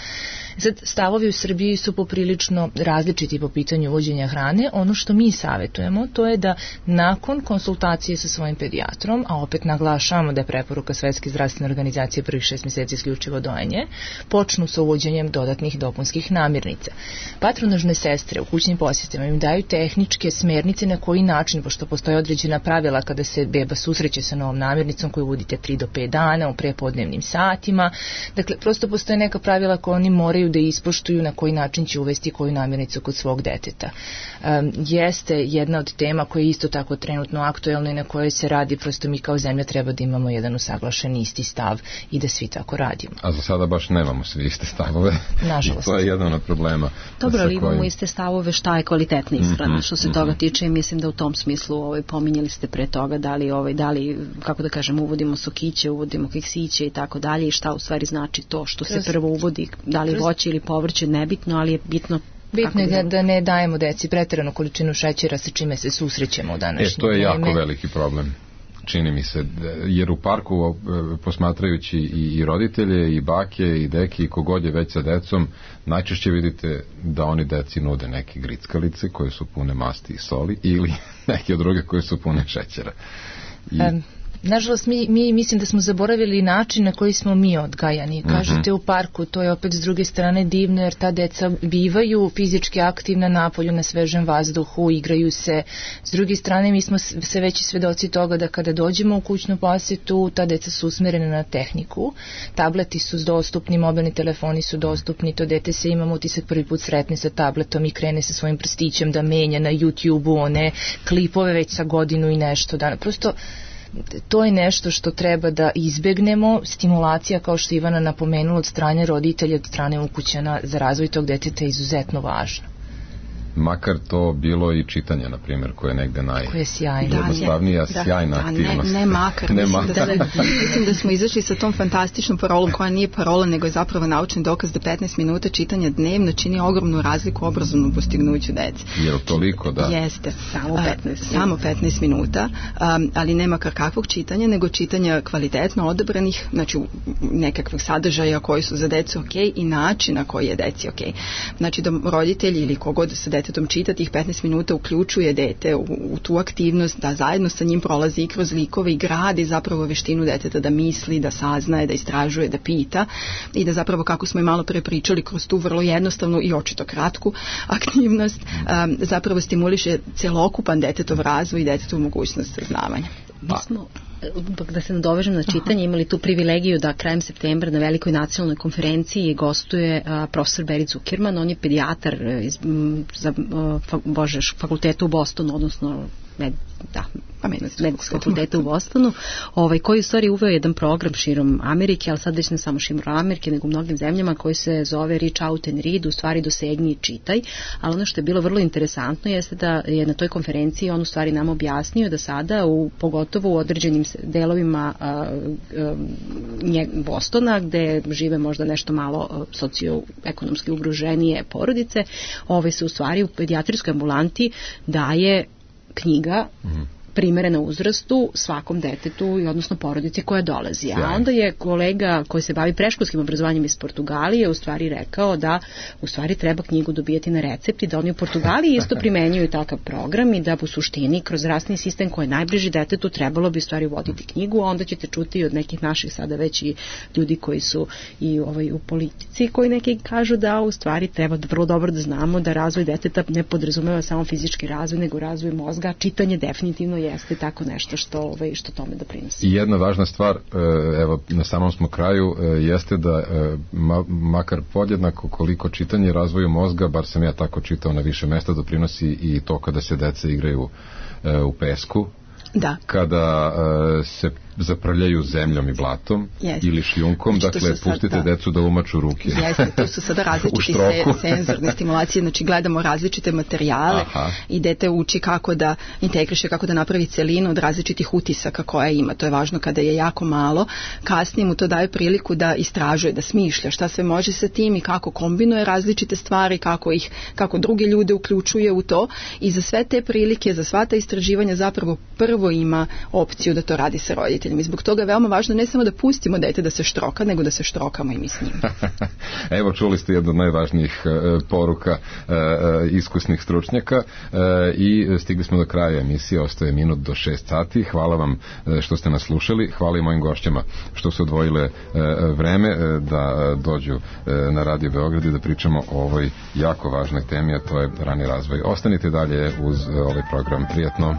Speaker 1: Sad, stavovi u Srbiji su poprilično različiti po pitanju uvođenja hrane. Ono što mi savjetujemo, to je da nakon konsultacije sa svojim pedijatrom, a opet naglašavamo da je preporuka Svetske zdravstvene organizacije prvih 6 mjeseci isključivo dojenje, počnu sa uvođenjem dodatnih dopunskih namirnica. Patronažne sestre u kućnim posjetima im daju tehničke smernice na koji način, pošto postoje određena pravila kada se beba susreće sa novom namirnicom koju uvodite 3 do 5 dana u prepodnevnim satima. Dakle, prosto postoje neka pravila koje oni moraju da ispoštuju na koji način će uvesti koju namirnicu kod svog deteta. Jeste jedna od tema koja je isto tako trenutno aktuelna i na kojoj se radi, prosto mi kao zemlja treba da imamo jedan usaglašen isti stav i da svi tako radimo.
Speaker 3: A za sada baš nemamo svi iste stavove.
Speaker 1: Nažalost.
Speaker 3: To je jedan od problema.
Speaker 4: Dobro, ali imamo iste stavove šta je kvalitetna ishrana. Što se toga tiče, mislim da u tom smislu pominjali ste pre toga da li, kako da kažem, uvodimo sokiće, uvodimo keksiće i tako dalje, i šta u stvari znači to što se prvo uvodi, da li voće ili povrće, nebitno, ali je bitno.
Speaker 1: Bitno je da ne dajemo deci preteranu količinu šećera sa čime se susrećemo u današnje
Speaker 3: to je jako veliki problem, čini mi se, jer u parku posmatrajući i roditelje i bake i deke i kogod je već sa decom, najčešće vidite da oni deci nude neke grickalice koje su pune masti i soli ili neke druge koje su pune šećera.
Speaker 1: Nažalost, mi mislim da smo zaboravili način na koji smo mi odgajani. Kažete u parku, to je opet s druge strane divno, jer ta deca bivaju fizički aktivna napolju, na svežem vazduhu, igraju se. S druge strane, mi smo sve veći svedoci toga da kada dođemo u kućnu posjetu, ta deca su usmerene na tehniku, tableti su dostupni, mobilni telefoni su dostupni, to dete se, imamo utisak, prvi put sretne sa tabletom i krene sa svojim prstićem da menja na YouTube-u one klipove već sa godinu i nešto dana. Prosto to je nešto što treba da izbegnemo. Stimulacija, kao što Ivana napomenula, od strane roditelja, od strane ukućana za razvoj tog deteta je izuzetno važna.
Speaker 3: Makar to bilo i čitanje, na primjer, koje je negde najjednostavnija, sjajna aktivnost.
Speaker 2: Ne makar. Mislim da smo izašli sa tom fantastičnom parolom, koja nije parola, nego je zapravo naučni dokaz da 15 minuta čitanja dnevno čini ogromnu razliku u obrazovnom postignuću dece.
Speaker 3: Je li toliko, da?
Speaker 2: Jeste. Samo 15 minuta, ali ne makar kakvog čitanja, nego čitanja kvalitetno odabranih, znači nekakvih sadržaja koji su za decu okej i načina koji je deci okej. Znači da roditelji ili kogod sa detetom čita tih 15 minuta uključuje dete u tu aktivnost, da zajedno sa njim prolazi i kroz likove i gradi zapravo veštinu deteta da misli, da saznaje, da istražuje, da pita i da zapravo, kako smo i malo pre pričali, kroz tu vrlo jednostavnu i očito kratku aktivnost zapravo stimuliše celokupan detetov razvoj i detetov mogućnost saznavanja.
Speaker 4: Mi smo, da se nadovežem na čitanje, imali tu privilegiju da krajem septembra na velikoj nacionalnoj konferenciji gostuje profesor Berit Zuckerman. On je pedijatar za fakultetu u Bostonu, odnosno medicinskog fakulteta u Bostonu, koji u stvari uveo jedan program širom Amerike, ali sad već ne samo širom Amerike, nego u mnogim zemljama, koji se zove Reach Out and Read, u stvari dosegni i čitaj. Ali ono što je bilo vrlo interesantno jeste da je na toj konferenciji on u stvari nam objasnio da sada, pogotovo u određenim delovima Bostona, gde žive možda nešto malo socioekonomski ugroženije porodice, se u stvari u pedijatrijskoj ambulanti daje knjiga primerena uzrastu svakom detetu i odnosno porodici koja dolazi. A onda je kolega koji se bavi predškolskim obrazovanjem iz Portugalije u stvari rekao da u stvari treba knjigu dobijati na recept i da oni u Portugaliji isto primenjuju takav program i da u suštini kroz zdravstveni sistem koji je najbliži detetu trebalo bi u stvari voditi knjigu, a onda ćete čuti od nekih naših sada već i ljudi koji su i u politici, koji neki kažu da u stvari treba vrlo dobro da znamo da razvoj deteta ne podrazumeva samo fizički razvoj, nego razvoj mozga. Čitanje definitivno jeste tako nešto što tome doprinosi.
Speaker 3: I jedna važna stvar, evo na samom smo kraju, jeste da makar podjednako koliko čitanje razvoju mozga, bar sam ja tako čitao na više mesta, doprinosi i to kada se deca igraju u pesku.
Speaker 2: Da.
Speaker 3: Kada se zaprljaju zemljom i blatom ili šljunkom, dakle pustite decu da umaču ruke.
Speaker 2: Jeste, to su sada različiti senzorne stimulacije, znači gledamo različite materijale i dete uči kako da integriše, kako da napravi celinu od različitih utisaka koja ima. To je važno kada je jako malo. Kasnije mu to daje priliku da istražuje, da smišlja šta sve može sa tim i kako kombinuje različite stvari, kako druge ljude uključuje u to, i za sve te prilike, za sva ta istraživanja zapravo prvo ima opciju da to radi sa roditeljima. I zbog toga je veoma važno ne samo da pustimo dete da se štroka, nego da se štrokamo i mi s njim.
Speaker 3: Evo, čuli ste jednu od najvažnijih poruka iskusnih stručnjaka i stigli smo do kraja emisije, ostaje minut do 6 sati. Hvala vam što ste nas slušali, hvala i mojim gošćama što su odvojile vreme da dođu na Radio Beograd i da pričamo o ovoj jako važnoj temi, a to je rani razvoj. Ostanite dalje uz ovaj program. Prijatno.